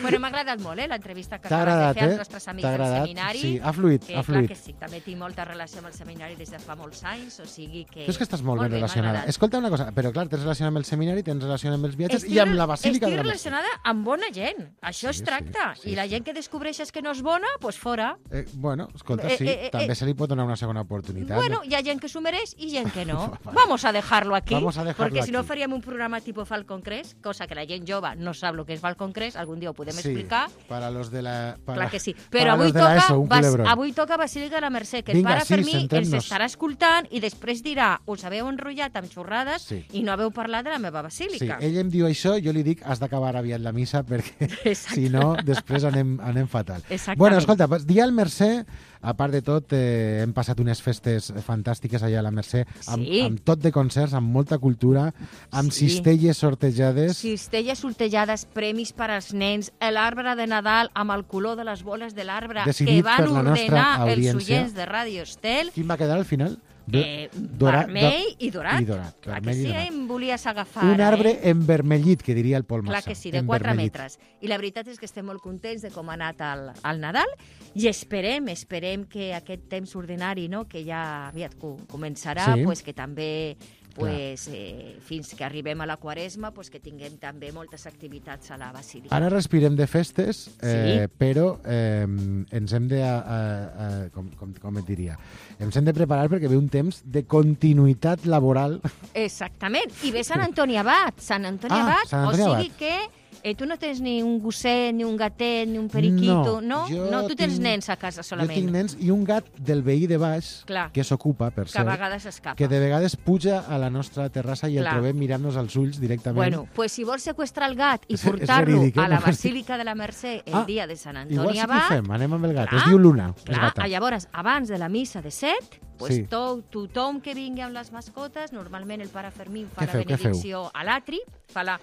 Bueno, m'ha agradat molt, eh, l'entrevista que acabes de fer als nostres amics del seminari. Sí, ha fluït, que, ha fluït. Clar que sí, també tinc molta relació amb el seminari des de fa molts anys, o sigui que... Tu és que estàs molt, molt ben relacionada. Escolta una cosa, però clar, tens relació amb el seminari, tens relació amb els viatges estic, i amb la Basílica de la Estic relacionada amb bona gent, això sí, es tracta. Sí, sí, I la gent que descobreixes que no és bona, doncs pues fora. Eh, bueno, escolta, sí, eh, eh, també eh, se li pot donar una segona oportunitat. Bueno, hi ha gent que s'ho mereix i gent que no. Vamos a dejarlo aquí, Vamos a dejarlo perquè aquí. Si no faríem un programa tipo Falcon Crest, cosa que la gent jove no sap el que és Falcon Crest, algun dia ho podem explicar. Para los de la... Para, Clar que sí. Però avui toca, ESO, bas, avui toca Basílica de la Mercè, que el Vinga, pare sí, Fermí els centrem-nos. estarà escoltant i després dirà, us haveu enrotllat amb xorrades Sí. i no haveu parlat de la meva Sí, basílica. ell em diu això, jo li dic, has d'acabar aviat la missa perquè si no, després anem, anem fatal. Exactament. Bueno, escolta, pues, dia al Mercè, a part de tot, eh, hem passat unes festes fantàstiques allà a la Mercè, amb, Sí. amb tot de concerts, amb molta cultura, amb Sí. cistelles sortejades. Cistelles sortejades, premis per als nens, l'arbre de Nadal amb el color de les boles de l'arbre Decidit que van per la nostra ordenar els audiència. oients de Ràdio Estel. Quin va quedar al final? Eh, Dora- vermell do- i dorat. I dorat, Clar vermell que i sí, dorat. em volies agafar. Un arbre eh? envermellit, que diria el Pol Clar Massa. que sí, de quatre envermellit. metres. I la veritat és que estem molt contents de com ha anat el, el Nadal i esperem, esperem que aquest temps ordinari, no?, que ja aviat co- començarà, Sí. pues, que també pues, eh, fins que arribem a la Quaresma, pues, que tinguem també moltes activitats a la Basílica. Ara respirem de festes, eh, Sí. però eh, ens hem de, eh, eh, com, com, com et diria, ens hem de preparar perquè ve un temps de continuïtat laboral. Exactament. I ve Sant Antoni Abat. Sant Antoni Ah, Abat, Sant o Antoni sigui Abat. que eh, tu no tens ni un gosset, ni un gatet, ni un periquito, no? jo No, tu tens tinc- nens a casa solament. Jo tinc nens i un gat del veí de baix, Clar. que s'ocupa, per Que a cert, vegades escapa. que de vegades puja a la nostra terrassa i el Clar. trobem mirant-nos als ulls directament. Bueno, pues si vols seqüestrar el gat i És- és portar-lo verídic, eh? a la No, Basílica de la Mercè el Ah, dia de Sant Igual Antoni sí que ho Abat, fem, anem amb el gat. Clar, Es diu Luna, és clar, gata. llavors, abans de la missa de set, pues Sí. to, tothom que vingui amb les mascotes, normalment el pare Fermín fa Què la feu, què feu? benedicció a l'atri, fa la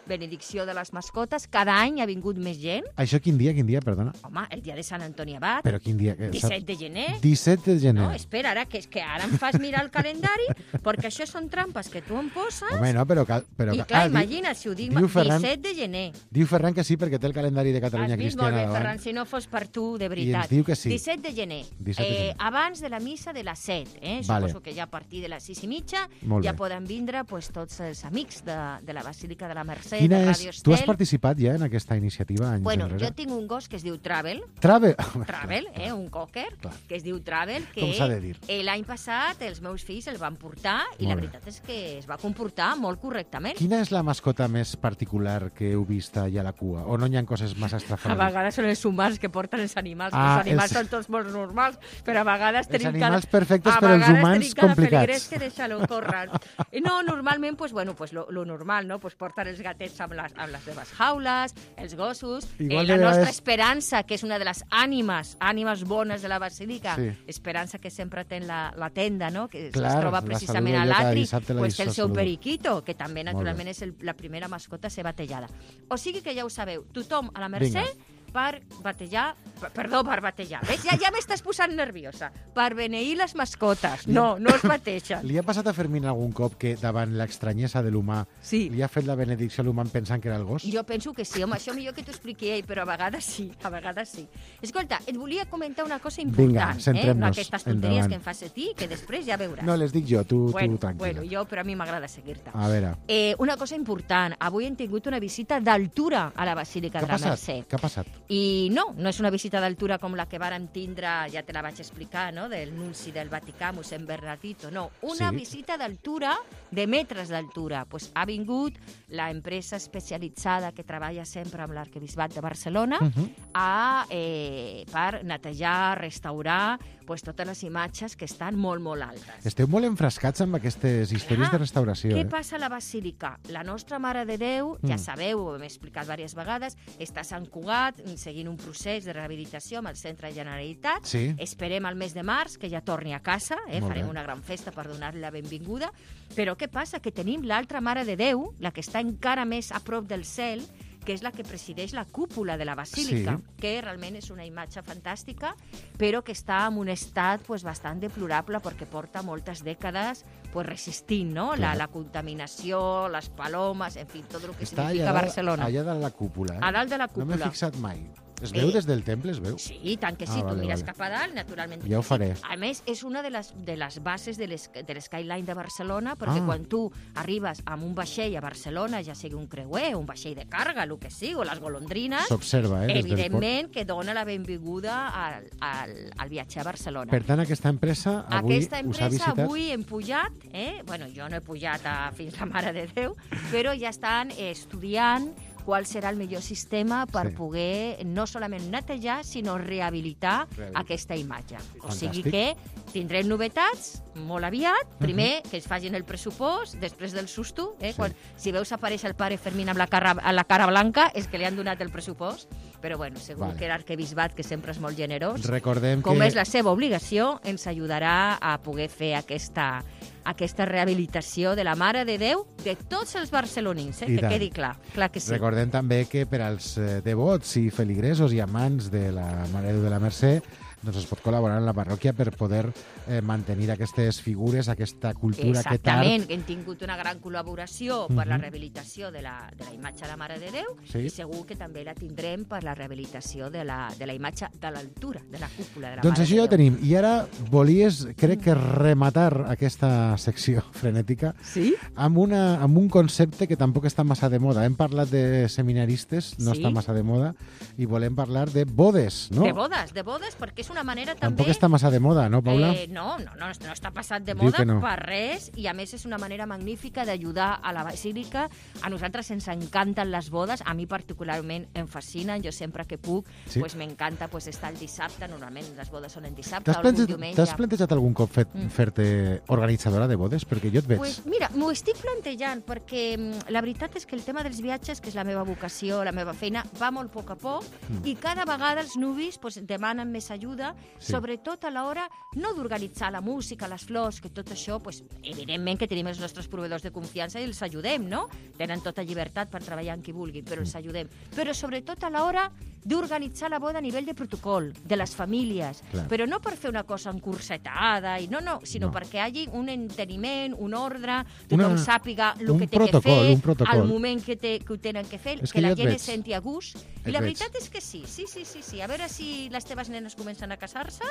benedicció de les mascotes, cada any ha vingut més gent. Això quin dia, quin dia, perdona? Home, el dia de Sant Antoni Abat, Però quin dia? Que- disset de gener. disset de gener. No, espera, ara, que, és que ara em fas mirar el calendari, perquè això són trampes que tu em poses. Home, no, però... Cal, però I cal- clar, ah, di- imagina, si ho dic, diu Ferran- disset de gener. Diu Ferran que sí, perquè té el calendari de Catalunya Has vist molt Cristiana bé, davant. Ferran, si no fos per tu, de I veritat. ens diu que sí. disset de gener, disset de eh, gener. abans de la missa de les set. Eh? Vale. Suposo que ja a partir de les sis i mitja Molt ja bé. poden vindre pues, tots els amics de, de la Basílica de la Mercè, Quina de és... Ràdio Tu has Estel. participat ja en aquesta iniciativa anys Bueno, enrere? jo tinc un gos que es diu Travel, Travel. Travel, eh, un cocker, Clar. que es diu Travel, que Com s'ha de dir. eh, l'any passat els meus fills el van portar i Molt la bé. veritat és que es va comportar molt correctament. Quina és la mascota més particular que heu vist allà a la cua? O no hi ha coses massa A estrafalaires? vegades són els humans que porten els animals, Ah, els animals els- són tots molt normals, però a vegades tenim animals cada... perfectes, a però els vegades humans tenim cada complicats. peligrés que deixa-lo córrer. I no, normalment, pues, bueno, pues, lo, lo normal, no? Pues, porten els gatets amb les, amb les seves jaules, els gossos, eh, Igual la de nostra vegades- Esperança, que és una de les ànimes, ànimes bones de la Basílica, Sí. Esperança que sempre té la, la tenda, no? Que Clar, es troba la precisament saludo a jo cada l'atri, dissabte, la pues, té el seu saludo. periquito, que també, Molt bé. naturalment, és el, la primera mascota a ser batejada. O sigui que ja ho sabeu, tothom a la Mercè Vinga. per batejar, per, perdó, per batejar. Ves? Ja, ja m'estàs posant nerviosa. Per beneir les mascotes. No, no es bategen. Li ha passat a Fermín algun cop que davant l'estranyesa de l'humà Sí. li ha fet la benedicció a l'humà pensant que era el gos? Jo penso que sí, home, això millor que t'ho expliqui ell, però a vegades sí, a vegades sí. Escolta, et volia comentar una cosa important, Vinga, eh? centrem-nos. No aquestes tonteries Endavant. que em fas a ti, que després ja veuràs. No, les dic jo, tu, bueno, tu tranquil·la. bueno, jo, però a mi m'agrada seguir-te. A veure, Eh, una cosa important, avui hem tingut una visita d'altura a la Basílica què ha de la passat? Mercè. Què ha passat? I no, no és una visita d'altura com la que vàrem tindre, ja te la vaig explicar, no?, del nunci del Vaticà, mossèn Bernardito. No, una Sí. visita d'altura, de metres d'altura. Pues ha vingut la empresa especialitzada que treballa sempre amb l'arquebisbat de Barcelona Uh -huh. a, eh, per netejar, restaurar pues, totes les imatges que estan molt, molt altes. Esteu molt enfrascats amb aquestes històries de restauració, Què eh? passa a la Basílica? La nostra Mare de Déu, ja Mm. sabeu, ho hem explicat diverses vegades, està a Sant Cugat seguint un procés de rehabilitació amb el Centre de Generalitat. Sí. Esperem al mes de març que ja torni a casa, eh? Molt farem bé. una gran festa per donar-li la benvinguda. Però què passa? Que tenim l'altra Mare de Déu, la que està encara més a prop del cel, que és la que presideix la cúpula de la Basílica, Sí. que realment és una imatge fantàstica, però que està en un estat pues, bastant deplorable perquè porta moltes dècades pues, resistint, no? La, Clar. la contaminació, les palomes, en fi, tot el que Està significa allà, Barcelona. allà dalt la cúpula, eh? A dalt de la No m'he cúpula. fixat mai. Es veu Eh, des del temple, es veu? Sí, i tant que sí, Ah, tu vale, mires vale. cap a dalt, naturalment. Ja ho faré. A més, és una de les, de les bases de l'es- de l'Skyline de Barcelona, perquè Ah. quan tu arribes amb un vaixell a Barcelona, ja sigui un creuer, un vaixell de càrrega, el que sigui, o les golondrines, S'observa, eh? des del port. evidentment que dona la benvinguda al, al, al viatger a Barcelona. Per tant, aquesta empresa avui Aquesta us ha empresa visitat? avui hem pujat, eh? bueno, jo no he pujat a, fins la Mare de Déu, però ja estan eh, estudiant qual serà el millor sistema per Sí. poder no solament netejar, sinó rehabilitar Rehabilitar. aquesta imatge. O Fantàstic. sigui que tindrem novetats molt aviat. Primer, que es facin el pressupost, després del susto. Eh? Sí. Quan, si veus aparèixer el pare Fermín amb la cara, amb la cara blanca, és que li han donat el pressupost. Però, bueno, segur Vale. que l'arquebisbat, que sempre és molt generós, Recordem com que... és la seva obligació, ens ajudarà a poder fer aquesta, aquesta rehabilitació de la Mare de Déu de tots els barcelonins, eh? I que tant. quedi clar. Clar que sí. Recordem també que per als eh, devots i feligresos i amants de la Mare de Déu de la Mercè doncs es pot col·laborar en la parròquia per poder eh, mantenir aquestes figures, aquesta cultura, aquest Exactament, art. que hem tingut una gran col·laboració per la Mhm. rehabilitació de la, de la imatge de la Mare de Déu Sí. i segur que també la tindrem per la rehabilitació de la, de la imatge de l'altura, de la cúpula de la Doncs Mare això de ja ho Déu. tenim. I ara volies, crec que rematar aquesta secció frenètica Sí? amb, una, amb un concepte que tampoc està massa de moda. Hem parlat de seminaristes, no Sí. està massa de moda, i volem parlar de bodes, no? De bodes, de bodes, perquè és una manera Tampoc també... està massa de moda, no, Paula? Eh, no, no, no, no està passat de Diu moda que no. per res i a més és una manera magnífica d'ajudar a la basílica. A nosaltres ens encanten les bodes, a mi particularment em fascinen, jo sempre que puc Sí. pues m'encanta pues, estar el dissabte, normalment les bodes són en dissabte, T'has o algun plantejat, diumenge. t'has plantejat algun cop fet, Mm. fer-te organitzadora de bodes? Perquè jo et veig. Pues mira, m'ho estic plantejant perquè mm, la veritat és que el tema dels viatges, que és la meva vocació, la meva feina, va molt a poc a poc Mm. i cada vegada els nuvis pues, demanen més ajuda, Sí. sobretot a l'hora no d'organitzar la música, les flors, que tot això, pues, evidentment que tenim els nostres proveïdors de confiança i els ajudem, no? Tenen tota llibertat per treballar amb qui vulguin, però els ajudem. Però sobretot a l'hora d'organitzar la boda a nivell de protocol, de les famílies, Clar. però no per fer una cosa encursetada, i no, no, sinó No. perquè hi hagi un enteniment, un ordre, tothom Una- sàpiga el un que té protocol, que fer, un protocol. al moment que, té, que ho tenen que fer, És que, que la jo et gent veig. es senti a gust. Et I la veig. veritat és que sí, sí, sí, sí, sí. A veure si les teves nenes comencen a casar-se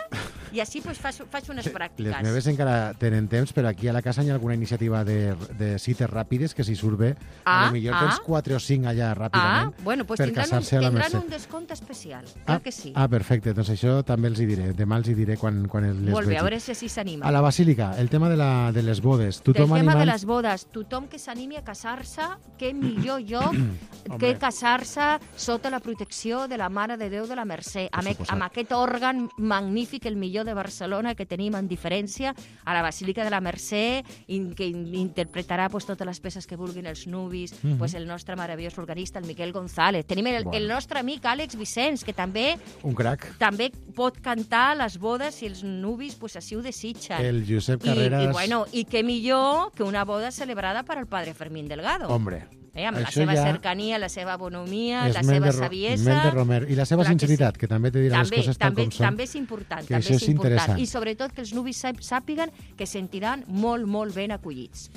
i així pues, faig, faig unes Les pràctiques. meves encara tenen temps, però aquí a la casa hi ha alguna iniciativa de, de cites ràpides que si surt bé, Ah, a lo millor ah. tens quatre o cinc allà Ah, ràpidament bueno, pues per tindran, un, casar-se a la tindran Mercè. un descompte especial. Ah, Clar que sí. ah, perfecte. Doncs això també els hi diré. Demà els hi diré quan, quan les Molt bé, vegi. a veure si així s'anima. A la Basílica, el tema de, la, de les bodes. Del Tothom tema de animant... les bodes, tothom que s'animi a casar-se, que millor lloc Hombre. que casar-se sota la protecció de la Mare de Déu de la Mercè, amb, suposat. amb aquest òrgan magnífic, el millor de Barcelona, que tenim en diferència a la Basílica de la Mercè, in, que in, interpretarà pues, totes les peces que vulguin els nuvis, Mhm. pues, el nostre meravellós organista, el Miquel González. Tenim el, Bueno. el nostre amic Àlex Vicenç, que també Un crac. també pot cantar a les bodes si els nuvis pues, així ho desitgen. El Josep I, Carreras... i, bueno, i què millor que una boda celebrada per al padre Fermín Delgado. Hombre, eh, amb la això seva ja cercania, la seva bonomia, és la Mel seva de Ro- saviesa... Mel de Romer. I la seva Clar que sinceritat, que, també te dirà també, les coses tal també, com són. també és important, que també això és és important. interessant. I sobretot que els nuvis sàp- sàpiguen que sentiran molt, molt ben acollits.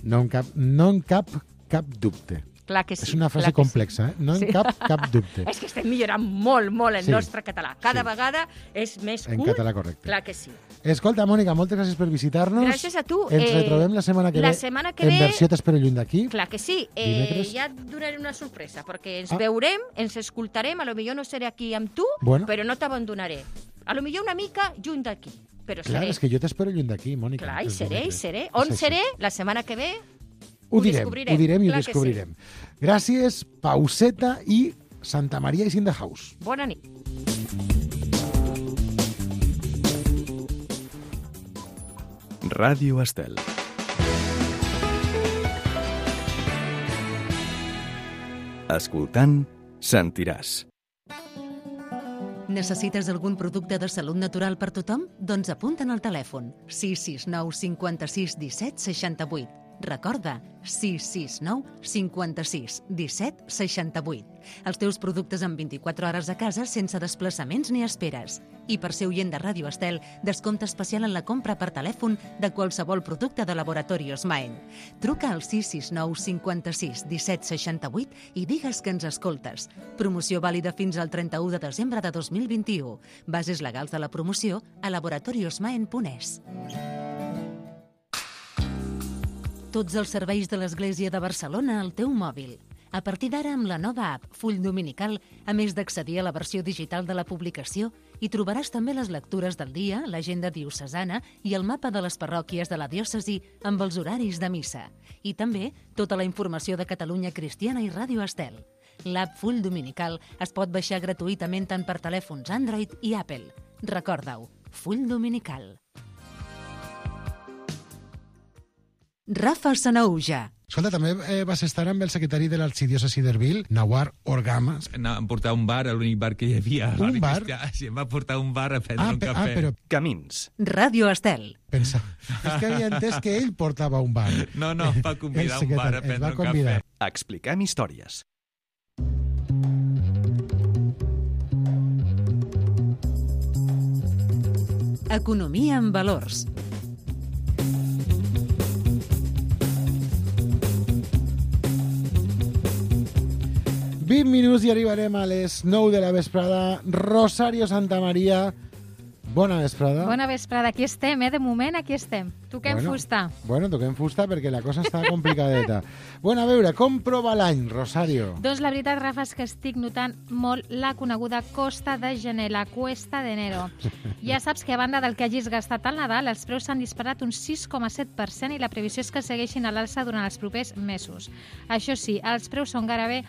No en cap, no en cap, cap dubte. Clar que sí. És una frase clar que complexa, eh? No en Sí. cap, cap dubte. És que estem millorant molt, molt el Sí. nostre català. Cada Sí. vegada és més En curt. català correcte. Clar que sí. Escolta, Mònica, moltes gràcies per visitar-nos. Gràcies a tu. Ens Eh, retrobem la setmana que la ve setmana que en ve- versió T'espero lluny d'aquí. Clar que sí. Eh, Dimecres. ja et donaré una sorpresa, perquè ens Ah. veurem, ens escoltarem, a lo millor no seré aquí amb tu, Bueno. però no t'abandonaré. A lo millor una mica junt d'aquí, però Clar, seré. és que jo t'espero lluny d'aquí, Mònica. Clar, i els seré, i dimecres. seré. És On així. seré? La setmana que ve Ho ho direm, descobrirem. ho direm i ho Clar que sí. descobrirem. Gràcies, pauseta i Santa Maria is in the house. Bona nit. Ràdio Estel. Escoltant, sentiràs. Necessites algun producte de salut natural per tothom? Doncs apunta'n al telèfon sis sis nou cinquanta-sis disset seixanta-vuit. Recorda, sis sis nou cinquanta-sis disset seixanta-vuit. Els teus productes en vint-i-quatre hores a casa sense desplaçaments ni esperes. I per ser oient de Ràdio Estel, descompte especial en la compra per telèfon de qualsevol producte de Laboratorios Maen. Truca al sis sis nou cinquanta-sis disset seixanta-vuit i digues que ens escoltes. Promoció vàlida fins al trenta-u de desembre de dos mil vint-i-u. Bases legals de la promoció a laboratoriosmaen punt es. Tots els serveis de l'Església de Barcelona al teu mòbil. A partir d'ara, amb la nova app Full Dominical, a més d'accedir a la versió digital de la publicació, hi trobaràs també les lectures del dia, l'agenda diocesana i el mapa de les parròquies de la diòcesi amb els horaris de missa. I també tota la informació de Catalunya Cristiana i Ràdio Estel. L'app Full Dominical es pot baixar gratuïtament tant per telèfons Android i Apple. Recorda-ho, Full Dominical. Rafa Sanahuja. Escolta, també eh, vas estar amb el secretari de l'arxidiòcesi d'Erbil, Nawar Orgama. Em portar a un bar, l'únic bar que hi havia. Un bar? Sí, em va portar a un bar a prendre ah, un pe- cafè. Ah, però... Camins. Ràdio Estel. Pensa, és que havia entès que ell portava un bar. No, no, em va convidar a un bar a prendre un cafè. Expliquem històries. Economia en valors. vint minuts i arribarem a les nou de la vesprada. Rosario Santamaría, bona vesprada. Bona vesprada, aquí estem, eh? De moment aquí estem. Toquem bueno, fusta. Bueno, toquem fusta perquè la cosa està complicadeta. Bueno, a veure, com prova l'any, Rosario? Doncs la veritat, Rafa, és que estic notant molt la coneguda costa de gener, la cuesta d'enero. Ja saps que a banda del que hagis gastat al Nadal, els preus s'han disparat un sis coma set per cent i la previsió és que segueixin a l'alça durant els propers mesos. Això sí, els preus són gairebé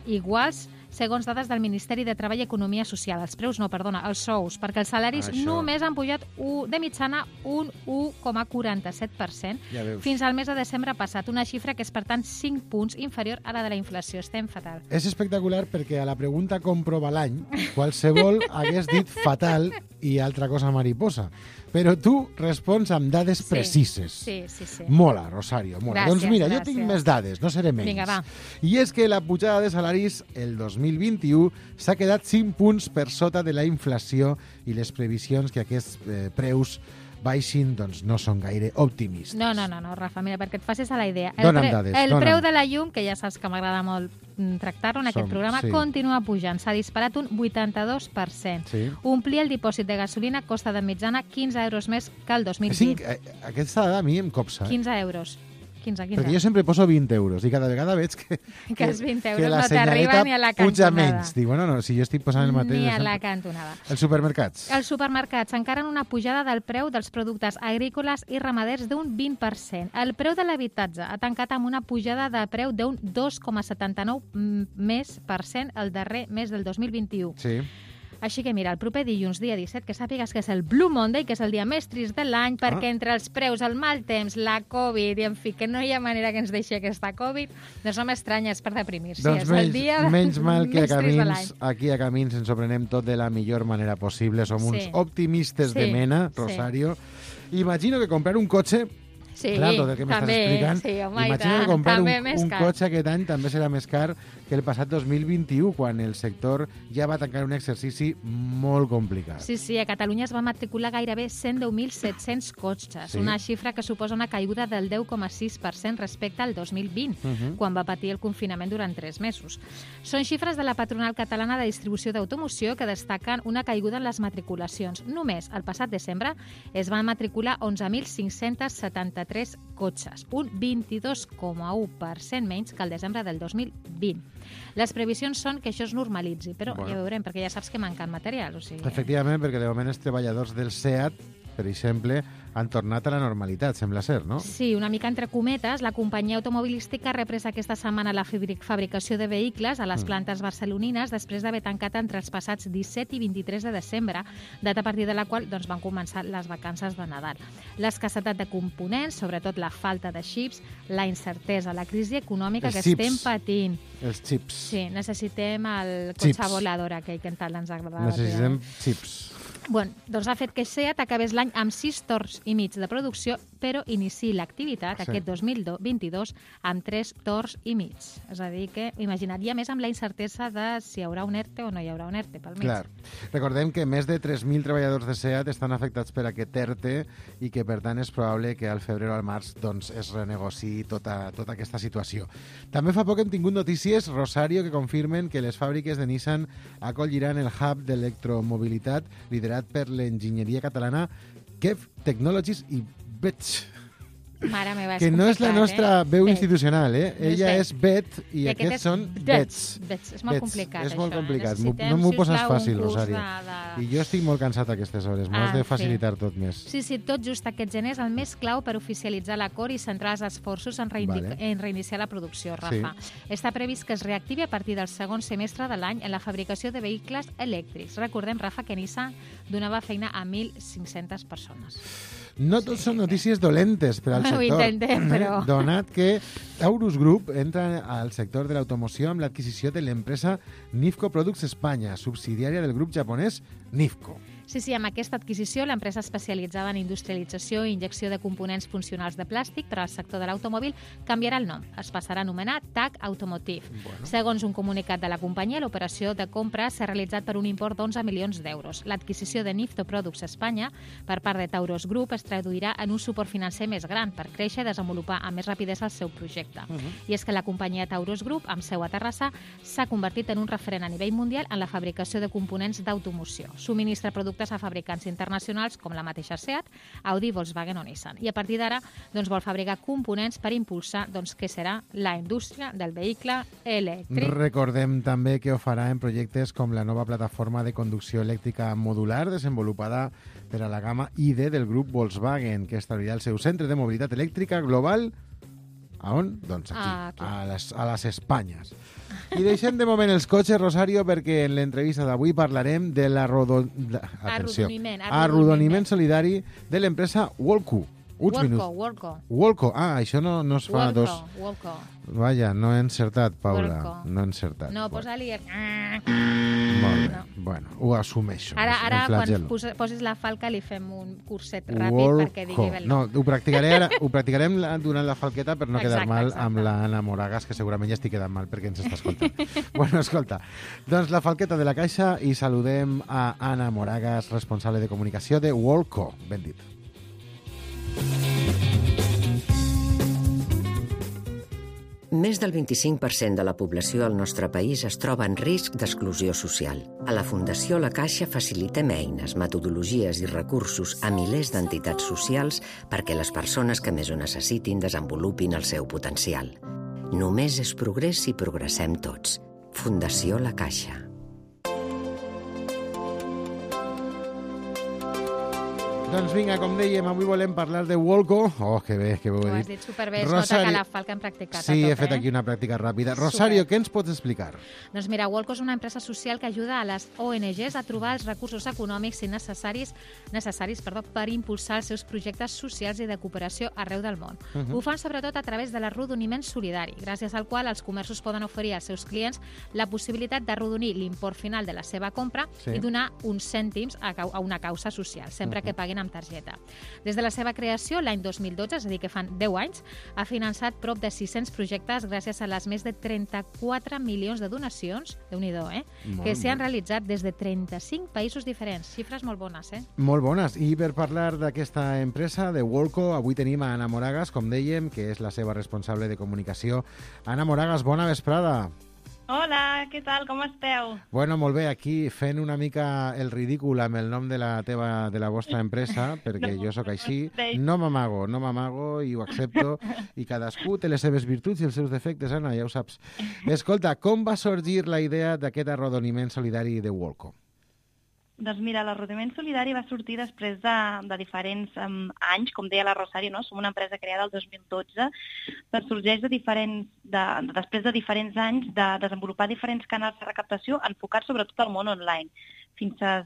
iguals segons dades del Ministeri de Treball i Economia Social. Els preus no, perdona, els sous, perquè els salaris Això. només han pujat un, de mitjana un u coma quaranta-set per cent Ja veus. fins al mes de desembre passat, una xifra que és, per tant, cinc punts inferior a la de la inflació. Estem fatal. És espectacular perquè a la pregunta com prova l'any, qualsevol hagués dit fatal i altra cosa mariposa. Però tu respons amb dades Sí. precises. Sí, sí, sí. Mola, Rosario, mola. Gràcies, doncs mira, gràcies. jo tinc més dades, no seré menys. Vinga, va. I és que la pujada de salaris el dos mil vint-i-u s'ha quedat cinc punts per sota de la inflació i les previsions que aquests eh, preus baixin doncs no són gaire optimistes. No, no, no, no, Rafa, mira, perquè et facis a la idea. El, Dóna'm pre dades, el dóna'm. preu de la llum, que ja saps que m'agrada molt mm, tractar-ho en aquest Som, programa, sí. continua pujant. S'ha disparat un vuitanta-dos per cent. Sí. Omplir el dipòsit de gasolina costa de mitjana quinze euros més que el dos mil vint. Cinc, eh, aquesta dada a mi em copsa. Eh? quinze euros. quinze, quinze. Perquè jo sempre poso vint euros i cada vegada veig que, Que els vint euros que la no t'arriben senyaleta ni a la puja cantonada. menys. Dic, bueno, no, si jo estic posant el mateix... Ni de a la sempre. cantonada. Els supermercats. Els supermercats encaren una pujada del preu dels productes agrícoles i ramaders d'un vint per cent. El preu de l'habitatge ha tancat amb una pujada de preu d'un dos coma setanta-nou més per cent el darrer mes del dos mil vint-i-u. Sí. Així que mira, el proper dilluns, dia disset, que sàpigues que és el Blue Monday, que és el dia més trist de l'any, perquè Ah. entre els preus, el mal temps, la Covid, i en fi, que no hi ha manera que ens deixi aquesta Covid, doncs no m'estranya, és per deprimir-se. Doncs és menys, el dia menys mal que a més trist de l'any. Camins, aquí a Camins ens ho prenem tot de la millor manera possible. Som uns Sí. optimistes Sí, de mena, sí. Rosario. Imagino que comprar un cotxe... Sí, clar, tot el que m'estàs també, explicant. sí, home, i Imagino tant, que comprar un, també més un car. cotxe aquest any també serà més car que el passat dos mil vint-i-u, quan el sector ja va tancar un exercici molt complicat. Sí, sí, a Catalunya es va matricular gairebé cent deu mil set-cents cotxes, Sí. una xifra que suposa una caiguda del deu coma sis per cent respecte al dos mil vint, Mhm. quan va patir el confinament durant tres mesos. Són xifres de la patronal catalana de distribució d'automoció que destaquen una caiguda en les matriculacions. Només el passat desembre es van matricular onze mil cinc-cents setanta-tres cotxes, un vint-i-dos coma u per cent menys que el desembre del dos mil vint. Les previsions són que això es normalitzi, però Bueno. ja veurem, perquè ja saps que manquen material. O sigui, Efectivament, perquè de moment els treballadors del SEAT, per exemple, han tornat a la normalitat, sembla ser, no? Sí, una mica entre cometes, la companyia automobilística ha reprès aquesta setmana la fabric- fabricació de vehicles a les Mm. plantes barcelonines després d'haver tancat entre els passats disset i vint-i-tres de desembre, data a partir de la qual doncs, van començar les vacances de Nadal. L'escassetat de components, sobretot la falta de xips, la incertesa, la crisi econòmica Els que xips. estem patint. Els xips. Sí, necessitem el cotxe Xips. volador aquell que tant ens agradava. Necessitem xips. Bueno, doncs ha fet que SEAT acabés l'any amb sis torns i mig de producció, però iniciï l'activitat Sí. aquest dos mil vint-i-dos amb tres torns i mig. És a dir, que imagina't, i a més amb la incertesa de si hi haurà un ERTE o no hi haurà un ERTE pel mig. Clar. Recordem que més de tres mil treballadors de SEAT estan afectats per aquest ERTE i que, per tant, és probable que al febrer o al març doncs, es renegociï tota, tota aquesta situació. També fa poc hem tingut notícies, Rosario, que confirmen que les fàbriques de Nissan acolliran el hub d'electromobilitat liderat per l'enginyeria catalana Kev Technologies i Vetch. Mare meva, és que no és la nostra eh? veu Bet. institucional, eh? No és Ella Bet. és Bet i, I aquests aquest són és Bets. Bets. És molt Bets. complicat, És molt això, eh? complicat. Necessitem, No m'ho poses sisplau, un fàcil, curs Rosario. de- de- I jo estic molt cansat a aquestes hores. M'ho has Ah, de sí. facilitar tot més. Sí, sí, tot just aquest gener és el més clau per oficialitzar l'acord i centrar els esforços en, reindi- Vale. en reiniciar la producció, Rafa. Sí. Està previst que es reactivi a partir del segon semestre de l'any en la fabricació de vehicles elèctrics. Recordem, Rafa, que Nissan donava feina a mil cinc-centes persones. No tot són notícies dolentes per al Ho sector. intentem, però- Donat que Taurus Group entra al sector de l'automoció amb l'adquisició de l'empresa Nifco Products Espanya, subsidiària del grup japonès Nifco. Sí, sí, amb aquesta adquisició, l'empresa especialitzada en industrialització i injecció de components funcionals de plàstic per al sector de l'automòbil canviarà el nom. Es passarà a anomenar T A C Automotive. Bueno. Segons un comunicat de la companyia, l'operació de compra s'ha realitzat per un import d'onze milions d'euros. L'adquisició de Nifco Products Espanya per part de Taurus Group es traduirà en un suport financer més gran per créixer i desenvolupar amb més rapidesa el seu projecte. Uh -huh. I és que la companyia Taurus Group, amb seu a Terrassa, s'ha convertit en un referent a nivell mundial en la fabricació de components d'automoció. Subministra productes a fabricants internacionals com la mateixa Seat, Audi, Volkswagen o Nissan. I a partir d'ara doncs, vol fabricar components per impulsar doncs, què serà la indústria del vehicle elèctric. Recordem també que ho farà en projectes com la nova plataforma de conducció elèctrica modular desenvolupada per a la gamma I D del grup Volkswagen, que establirà el seu centre de mobilitat elèctrica global. A on? Doncs aquí, Ah, aquí. a les, a les Espanyes. I deixem de moment els cotxes, Rosario, perquè en l'entrevista d'avui parlarem de l'arrodon... Atenció. Arrodoniment, Arrodoniment arrodoniment. solidari de l'empresa Wolco. Uns Wolco, minuts. Wolco. Wolco. Ah, això no, no es fa Wolco, dos... Wolco. Vaja, no he encertat, Paula. Wolco. No he encertat. No, Bueno, posa-li... el- molt bé. No. Bueno, ho assumeixo. Ara, em ara quan flagel·lo. posa- posis la falca, li fem un curset ràpid Wolco. perquè digui bé el No, nom. ho practicaré ara, ho practicarem la- durant la falqueta per no quedar Exacte, mal exacte. amb la Anna Moragas, que segurament ja estic quedant mal perquè ens està escoltant. Bueno, escolta, doncs la falqueta de la caixa i saludem a Anna Moragas, responsable de comunicació de Wolco. Ben dit. Més del vint-i-cinc per cent de la població al nostre país es troba en risc d'exclusió social. A la Fundació La Caixa facilitem eines, metodologies i recursos a milers d'entitats socials perquè les persones que més ho necessitin desenvolupin el seu potencial. Només és progrés si progressem tots. Fundació La Caixa. Doncs vinga, com dèiem, avui volem parlar de Wolco. Oh, que bé, que bé ho Ho he has dit. dit superbé, es nota que la falca hem practicat Sí, a tot, he fet eh? aquí una pràctica ràpida. Rosario, Super. què ens pots explicar? Doncs mira, Wolco és una empresa social que ajuda a les O N Ges a trobar els recursos econòmics i necessaris, necessaris perdó, per impulsar els seus projectes socials i de cooperació arreu del món. Uh -huh. Ho fan sobretot a través de l'arrodoniment solidari, gràcies al qual els comerços poden oferir als seus clients la possibilitat d'arrodonir l'import final de la seva compra Sí. i donar uns cèntims a, cau- a una causa social, sempre Uh-huh. que paguin amb targeta. Des de la seva creació, l'any dos mil dotze, és a dir, que fan deu anys, ha finançat prop de sis-cents projectes gràcies a les més de trenta-quatre milions de donacions, déu-n'hi-do, eh? Molt, que s'han molt. realitzat des de trenta-cinc països diferents. Xifres molt bones, eh? Molt bones. I per parlar d'aquesta empresa, de Wolco, avui tenim a Anna Moragas, com dèiem, que és la seva responsable de comunicació. Anna Moragas, bona vesprada. Hola, què tal? Com esteu? Bueno, molt bé, aquí fent una mica el ridícul amb el nom de la teva, de la vostra empresa, perquè No, jo sóc així. no. No m'amago, no m'amago i ho accepto. I cadascú té les seves virtuts i els seus defectes, Anna, ja ho saps. Escolta, com va sorgir la idea d'aquest arrodoniment solidari de Wolco? Doncs mira, l'arrodoniment solidari va sortir després de, de diferents um, anys, com deia la Rosario, no? Som una empresa creada el dos mil dotze, doncs sorgeix de diferents, de, de, després de diferents anys de desenvolupar diferents canals de recaptació enfocats sobretot al món online. Fins a,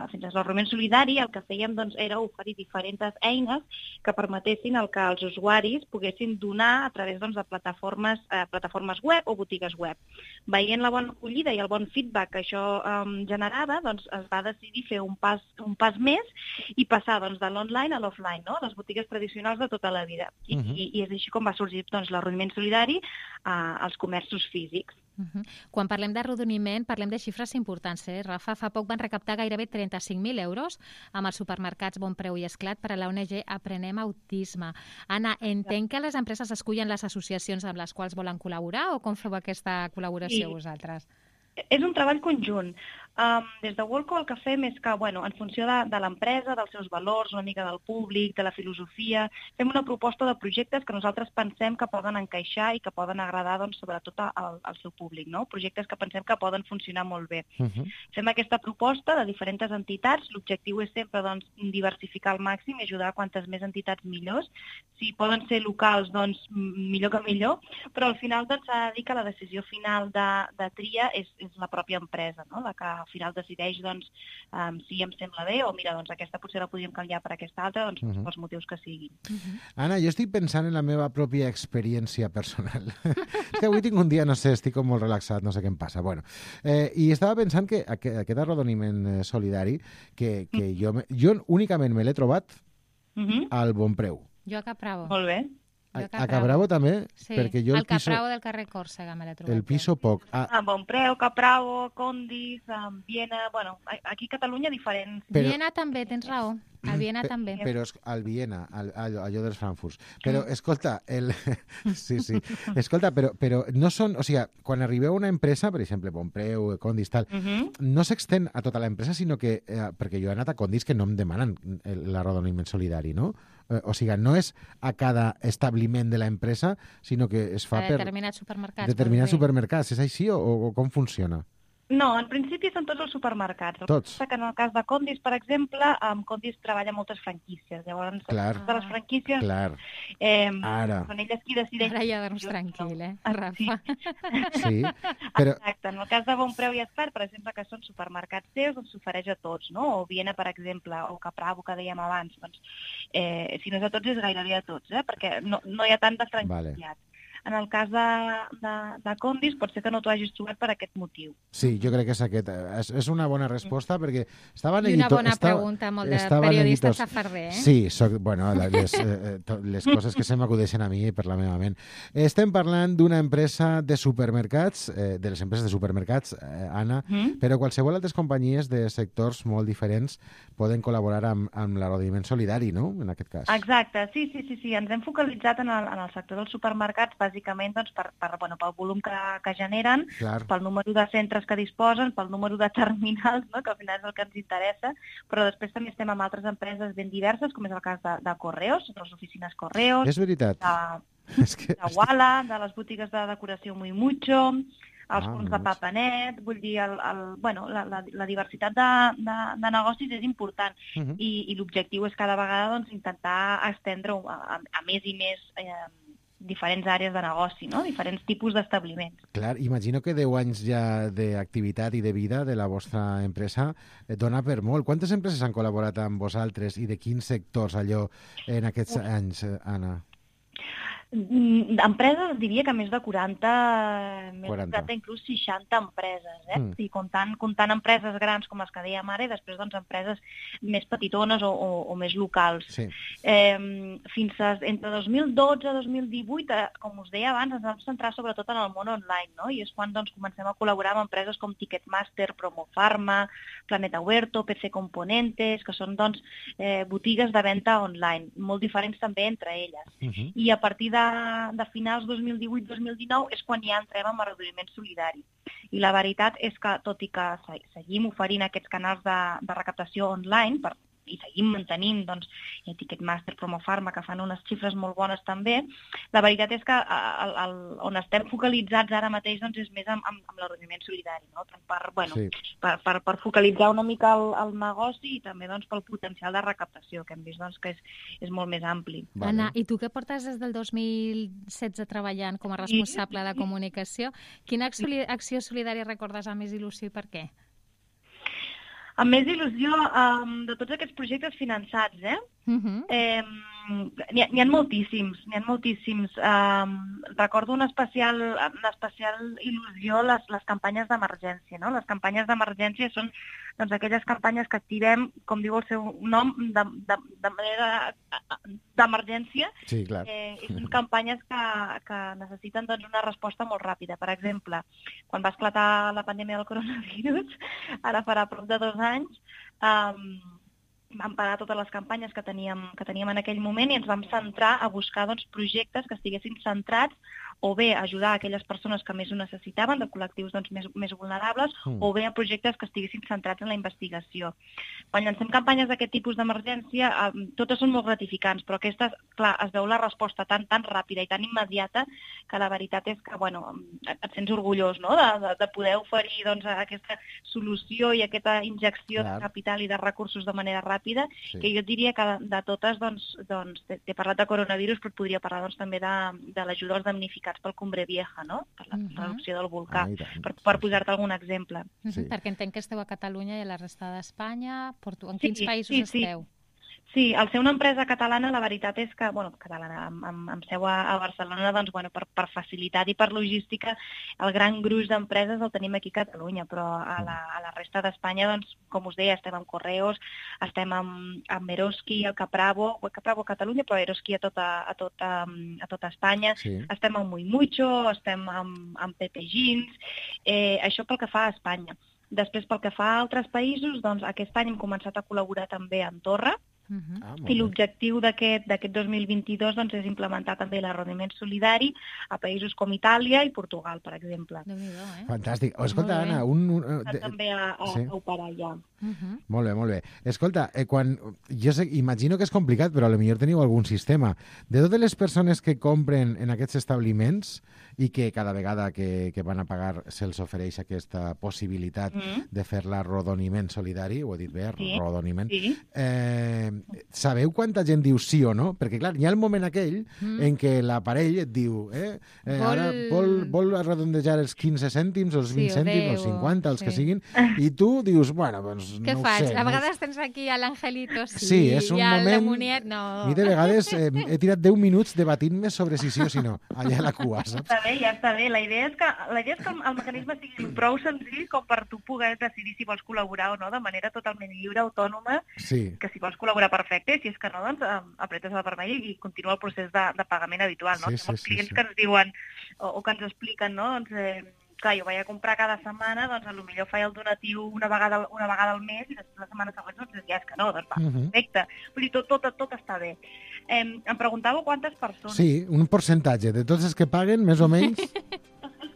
fins a l'arrodoniment solidari el que fèiem doncs, era oferir diferents eines que permetessin el que els usuaris poguessin donar a través doncs, de plataformes, eh, plataformes web o botigues web. Veient la bona acollida i el bon feedback que això eh, generava, doncs, es va decidir fer un pas, un pas més i passar doncs, de l'online a l'offline, no? Les botigues tradicionals de tota la vida. I, uh -huh. i, i és així com va sorgir doncs, l'arrodoniment solidari eh, als comerços físics. Uh -huh. Quan parlem d'arrodoniment, parlem de xifres importants, eh? Rafa, fa poc van recaptar gairebé trenta-cinc mil euros amb els supermercats Bon Preu i Esclat per a la O N G Aprenem Autisme. Anna, entenc que les empreses escullen les associacions amb les quals volen col·laborar o com feu aquesta col·laboració Sí. vosaltres? És un treball conjunt. Um, des de Worldco el que fem és que, bueno, en funció de, de l'empresa, dels seus valors, una mica del públic, de la filosofia, fem una proposta de projectes que nosaltres pensem que poden encaixar i que poden agradar, doncs, sobretot al, al seu públic, no? Projectes que pensem que poden funcionar molt bé. Uh-huh. Fem aquesta proposta de diferents entitats, l'objectiu és sempre, doncs, diversificar al màxim i ajudar a quantes més entitats millors. Si poden ser locals, doncs, millor que millor, però al final, doncs, s'ha de dir que la decisió final de, de tria és, és la pròpia empresa, no? La que al final decideix, doncs, um, si em sembla bé o, mira, doncs, aquesta potser la podríem canviar per aquesta altra, doncs, uh-huh. pels motius que siguin. Uh-huh. Anna, jo estic pensant en la meva pròpia experiència personal. És que avui tinc un dia, no sé, estic com molt relaxat, no sé què em passa. Bueno, eh, i estava pensant que aquest, aquest arrodoniment solidari, que, que uh-huh. jo, jo únicament me l'he trobat uh-huh. al Bonpreu. Jo a Capravo. Molt bé. A, a Capravo també? Sí, perquè jo el al Capravo piso, del carrer Còrsega me l'he trobat. El piso poc. Ah. A Bonpreu, Capravo, Condis, um, Viena... Bueno, aquí a Catalunya diferents. Però... Viena també, tens raó. A Viena Pe també. Però al Viena, al, allò dels Frankfurts. Però, escolta, el... sí, sí. Escolta, però, però no són... O sigui, quan arribeu a una empresa, per exemple, Bonpreu, Condis, tal, uh -huh. no s'extén a tota l'empresa, sinó que... Eh, perquè jo he anat a Condis que no em demanen l'arrodoniment solidari, no? Eh, o sigui, no és a cada establiment de l'empresa, sinó que es fa a per... determinats supermercats. Determinats supermercats. És així o, o com funciona? No, en principi són tots els supermercats. Tots. Que en el cas de Condis, per exemple, amb Condis treballa moltes franquícies. Llavors, clar. de les franquícies... Clar. Eh, Ara. Són elles qui decideixen... Ara ja dorms tranquil, eh, Rafa? Sí, però... Exacte. En el cas de Bonpreu i Espart, per exemple, que són supermercats seus, doncs s'ofereix a tots, no? O Viena, per exemple, o Capravo, que dèiem abans. Doncs, eh, si no és a tots, és gairebé a tots, eh? Perquè no, no hi ha tant de franquiciats. Vale. En el cas de, de, de Condis, pot ser que no t'ho hagis trobat per aquest motiu. Sí, jo crec que és aquest. És, és una bona resposta, perquè estava I una bona estava, pregunta, molt de periodista safarder, eh? Sí, soc, bueno, les, eh, les coses que se m'acudeixen a mi per la meva ment. Estem parlant d'una empresa de supermercats, eh, de les empreses de supermercats, eh, Anna, mm? però qualsevol altres companyies de sectors molt diferents poden col·laborar amb, amb l'arrodoniment solidari, no?, en aquest cas. Exacte, sí, sí, sí, sí. Ens hem focalitzat en el, en el sector dels supermercats, bàsicament doncs, per, per, bueno, pel volum que, que generen, Clar. pel número de centres que disposen, pel número de terminals, no? que al final és el que ens interessa, però després també estem amb altres empreses ben diverses, com és el cas de, de Correos, de les oficines Correos, és veritat. de, és que... de Walla, de les botigues de decoració Muy Mucho, els ah, punts de Papanet, vull dir, el, el, bueno, la, la, la diversitat de, de, de negocis és important uh -huh. i, i l'objectiu és cada vegada doncs, intentar estendre a, a més i més eh, diferents àrees de negoci, no? Diferents tipus d'establiments. Clar, imagino que deu anys ja d'activitat i de vida de la vostra empresa dona per molt. Quantes empreses han col·laborat amb vosaltres i de quins sectors allò en aquests Uf. anys, Anna? Empreses, diria que més de quaranta, més de quaranta, inclús seixanta empreses, eh? Mm. I comptant, comptant empreses grans com les que dèiem ara i després doncs, empreses més petitones o, o, o més locals. Sí. Eh, fins a, entre dos mil dotze i dos mil divuit, eh, com us deia abans, ens vam centrar sobretot en el món online, no? I és quan doncs, comencem a col·laborar amb empreses com Ticketmaster, Promofarma, Planeta Huerto, P C Componentes, que són doncs, eh, botigues de venda online, molt diferents també entre elles. Uh-huh. I a partir de De, de finals dos mil divuit dos mil dinou és quan ja entrem en arrodoniment solidari. I la veritat és que, tot i que seguim oferint aquests canals de, de recaptació online per, i seguim mantenint doncs, Ticketmaster, Promofarma, que fan unes xifres molt bones també, la veritat és que el, el, on estem focalitzats ara mateix doncs, és més amb, amb, amb l'arrodoniment solidari, no? per, bueno, sí. per, per, per focalitzar una mica el, el negoci i també doncs, pel potencial de recaptació, que hem vist doncs, que és, és molt més ampli. Vale. Anna, i tu que portes des del dos mil setze treballant com a responsable de comunicació, quina acció, acció solidària recordes amb més il·lusió i per què? Amb més il·lusió um, de tots aquests projectes finançats, eh? Uh-huh. eh N'hi ha, ha moltíssims, n'hi ha moltíssims. Um, recordo una especial, una especial il·lusió les, les campanyes d'emergència, no? Les campanyes d'emergència són doncs, aquelles campanyes que activem, com diu el seu nom, de, de, de manera d'emergència. Sí, clar. Eh, són campanyes que, que necessiten doncs, una resposta molt ràpida. Per exemple, quan va esclatar la pandèmia del coronavirus, ara farà prop de dos anys, um, vam parar totes les campanyes que teníem, que teníem en aquell moment i ens vam centrar a buscar doncs, projectes que estiguessin centrats o bé ajudar a aquelles persones que més ho necessitaven, de col·lectius doncs, més, més vulnerables, mm. o bé a projectes que estiguessin centrats en la investigació. Quan llancem campanyes d'aquest tipus d'emergència, eh, totes són molt gratificants, però aquestes, clar, es veu la resposta tan, tan ràpida i tan immediata que la veritat és que, bueno, et sents orgullós, no?, de, de, de poder oferir doncs, aquesta solució i aquesta injecció Clar. de capital i de recursos de manera ràpida, sí. que jo diria que de, de totes, doncs, doncs t'he parlat de coronavirus, però et podria parlar doncs, també de, de l'ajuda als damnificats pel Cumbre Vieja, no?, per la uh-huh. reducció del volcà, ah, per, per posar-te algun exemple. Sí. Perquè entenc que esteu a Catalunya i a la resta d'Espanya. Portu... En quins sí, països sí, esteu? Sí. Sí, al ser una empresa catalana, la veritat és que, bueno, catalana, amb, amb, amb seu a, a Barcelona, doncs, bueno, per, per facilitat i per logística, el gran gruix d'empreses el tenim aquí a Catalunya, però a la, a la resta d'Espanya, doncs, com us deia, estem amb Correos, estem amb, amb Eroski, el Capravo, el Capravo a Catalunya, però Eroski a tota, a tota, a tota Espanya, sí. estem amb Muy Mucho, estem amb, amb Pepe Jeans, eh, això pel que fa a Espanya. Després, pel que fa a altres països, doncs, aquest any hem començat a col·laborar també a Andorra, Uh-huh. Ah, i l'objectiu d'aquest dos mil vint-i-dos doncs, és implementar també l'arrodoniment solidari a països com Itàlia i Portugal, per exemple. Eh? Fantàstic. Oh, escolta, Anna, un... un de... també a, a, sí. a operar ja. Uh-huh. Molt bé, molt bé. Escolta, eh, quan... jo sé, imagino que és complicat, però potser teniu algun sistema. De totes les persones que compren en aquests establiments i que cada vegada que, que van a pagar se'ls ofereix aquesta possibilitat mm. de fer l'arrodoniment solidari, ho he dit bé, sí. arrodoniment, sí. Eh, sabeu quanta gent diu sí o no? Perquè, clar, hi ha el moment aquell mm. en què l'aparell et diu eh, eh, vol... ara vol, vol arrodondejar els quinze cèntims, els vint sí, cèntims, els cinquanta, els sí. que siguin, i tu dius, bueno, doncs Què no faig? ho sé. A vegades no... tens aquí a l'Angelito, sí, sí és un i al moment... Muniet, no. I de vegades eh, he tirat deu minuts debatint-me sobre si sí o si no, allà a la cua, saps? Està bé, ja està bé. La idea és que, la idea és que el mecanisme sigui prou senzill com per tu poder decidir si vols col·laborar o no de manera totalment lliure, autònoma, sí. que si vols col·laborar perfecte, si és que no, doncs apretes el vermell i continua el procés de, de pagament habitual, no? Sí, sí, els clients sí, sí. que ens diuen o, o que ens expliquen, no? Doncs, eh, clar, jo vaig a comprar cada setmana, doncs potser faig el donatiu una vegada, una vegada al mes i després la setmana següent doncs ja és que no, doncs va, uh-huh. perfecte. Vull dir, tot, tot, tot està bé. Eh, em preguntàveu quantes persones... Sí, un percentatge de tots els que paguen, més o menys...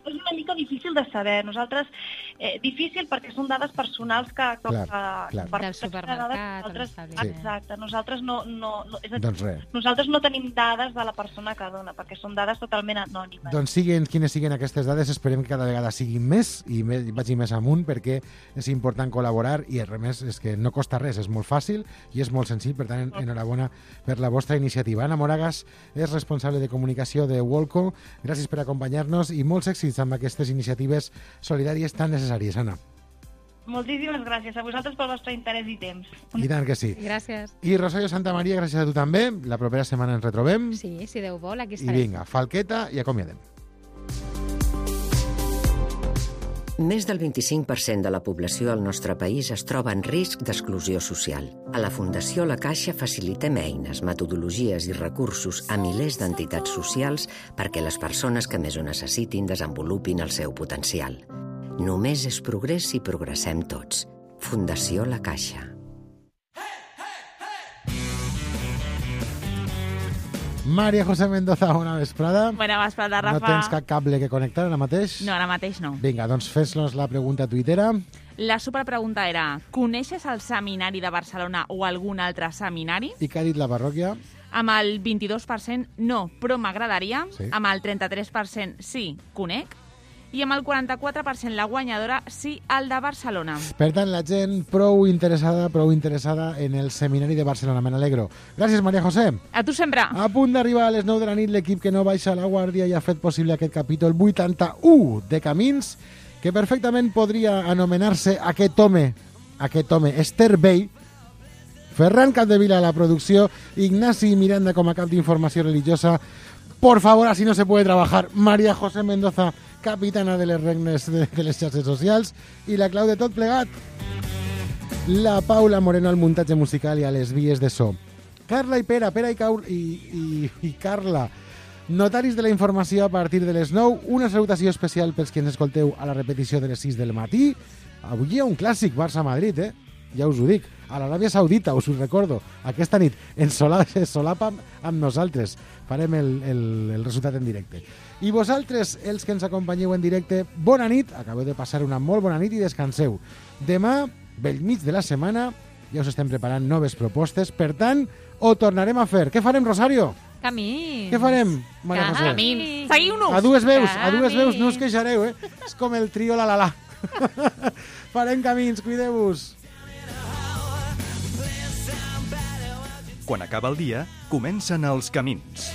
És una mica difícil de saber. Nosaltres, eh, difícil perquè són dades personals que... que clar, que, clar. Per del supermercat, nosaltres, exacte, nosaltres no, no, no, és a dir, doncs res. Nosaltres no tenim dades de la persona que dona, perquè són dades totalment anònimes. Doncs siguin quines siguin aquestes dades, esperem que cada vegada siguin més i més, vagi més amunt, perquè és important col·laborar i a més és que no costa res, és molt fàcil i és molt senzill, per tant, enhorabona per la vostra iniciativa. Anna Moragas és responsable de comunicació de Wolco. Gràcies per acompanyar-nos i molts èxits amb aquestes iniciatives solidàries tan necessàries, Anna. Moltíssimes gràcies a vosaltres pel vostre interès i temps. I tant que sí. Gràcies. I Rosario Santamaria, gràcies a tu també. La propera setmana ens retrobem. Sí, si Déu vol, aquí I estarem. vinga, falqueta i acomiadem. Més del vint-i-cinc per cent de la població al nostre país es troba en risc d'exclusió social. A la Fundació La Caixa facilitem eines, metodologies i recursos a milers d'entitats socials perquè les persones que més ho necessitin desenvolupin el seu potencial. Només és progrés si progressem tots. Fundació La Caixa. María José Mendoza, bona vesprada. Bona vesprada, Rafa. No tens cap cable que connectar ara mateix? No, ara mateix no. Vinga, doncs fes-nos la pregunta tuitera. La superpregunta era: coneixes el seminari de Barcelona o algun altre seminari? I què ha dit la parròquia? Amb el vint-i-dos per cent no, però m'agradaria. Sí. Amb el trenta-tres per cent sí, conec. I amb el quaranta-quatre per cent la guanyadora sí, el de Barcelona. Per tant, la gent prou interessada, prou interessada en el seminari de Barcelona. Me n'alegro. Gràcies, María José. A tu sempre. A punt d'arribar a les nou de la nit, l'equip que no baixa la guàrdia i ha fet possible aquest capítol vuitanta-u de Camins, que perfectament podria anomenar-se Aquest home, aquest home, Esther Bey, Ferran Capdevila a la producció, Ignasi Miranda com a cap d'informació religiosa. Por favor, así no se puede trabajar. María José Mendoza, capitana de les regnes de, de les xarxes socials, i la clau de tot plegat, la Paula Moreno al muntatge musical i a les vies de so. Carla i Pere, Pere i, Caur, i, i, i Carla, notaris de la informació a partir de les nou. Una salutació especial pels que ens escolteu a la repetició de les sis del matí. Avui hi ha un clàssic Barça-Madrid, eh? ja us ho dic, a l'Aràbia Saudita, us ho recordo, aquesta nit, en solapa amb nosaltres. Farem el, el, el resultat en directe. I vosaltres, els que ens acompanyeu en directe, bona nit, acabeu de passar una molt bona nit i descanseu. Demà, bell mig de la setmana, ja us estem preparant noves propostes, per tant, ho tornarem a fer. Què farem, Rosario? Camins. Què farem, Maria José? Camins. Seguiu-nos. A dues veus, Camins. a dues veus, no us queixareu, eh? És com el trio la la la. Farem camins, cuideu-vos. Quan acaba el dia, comencen els camins.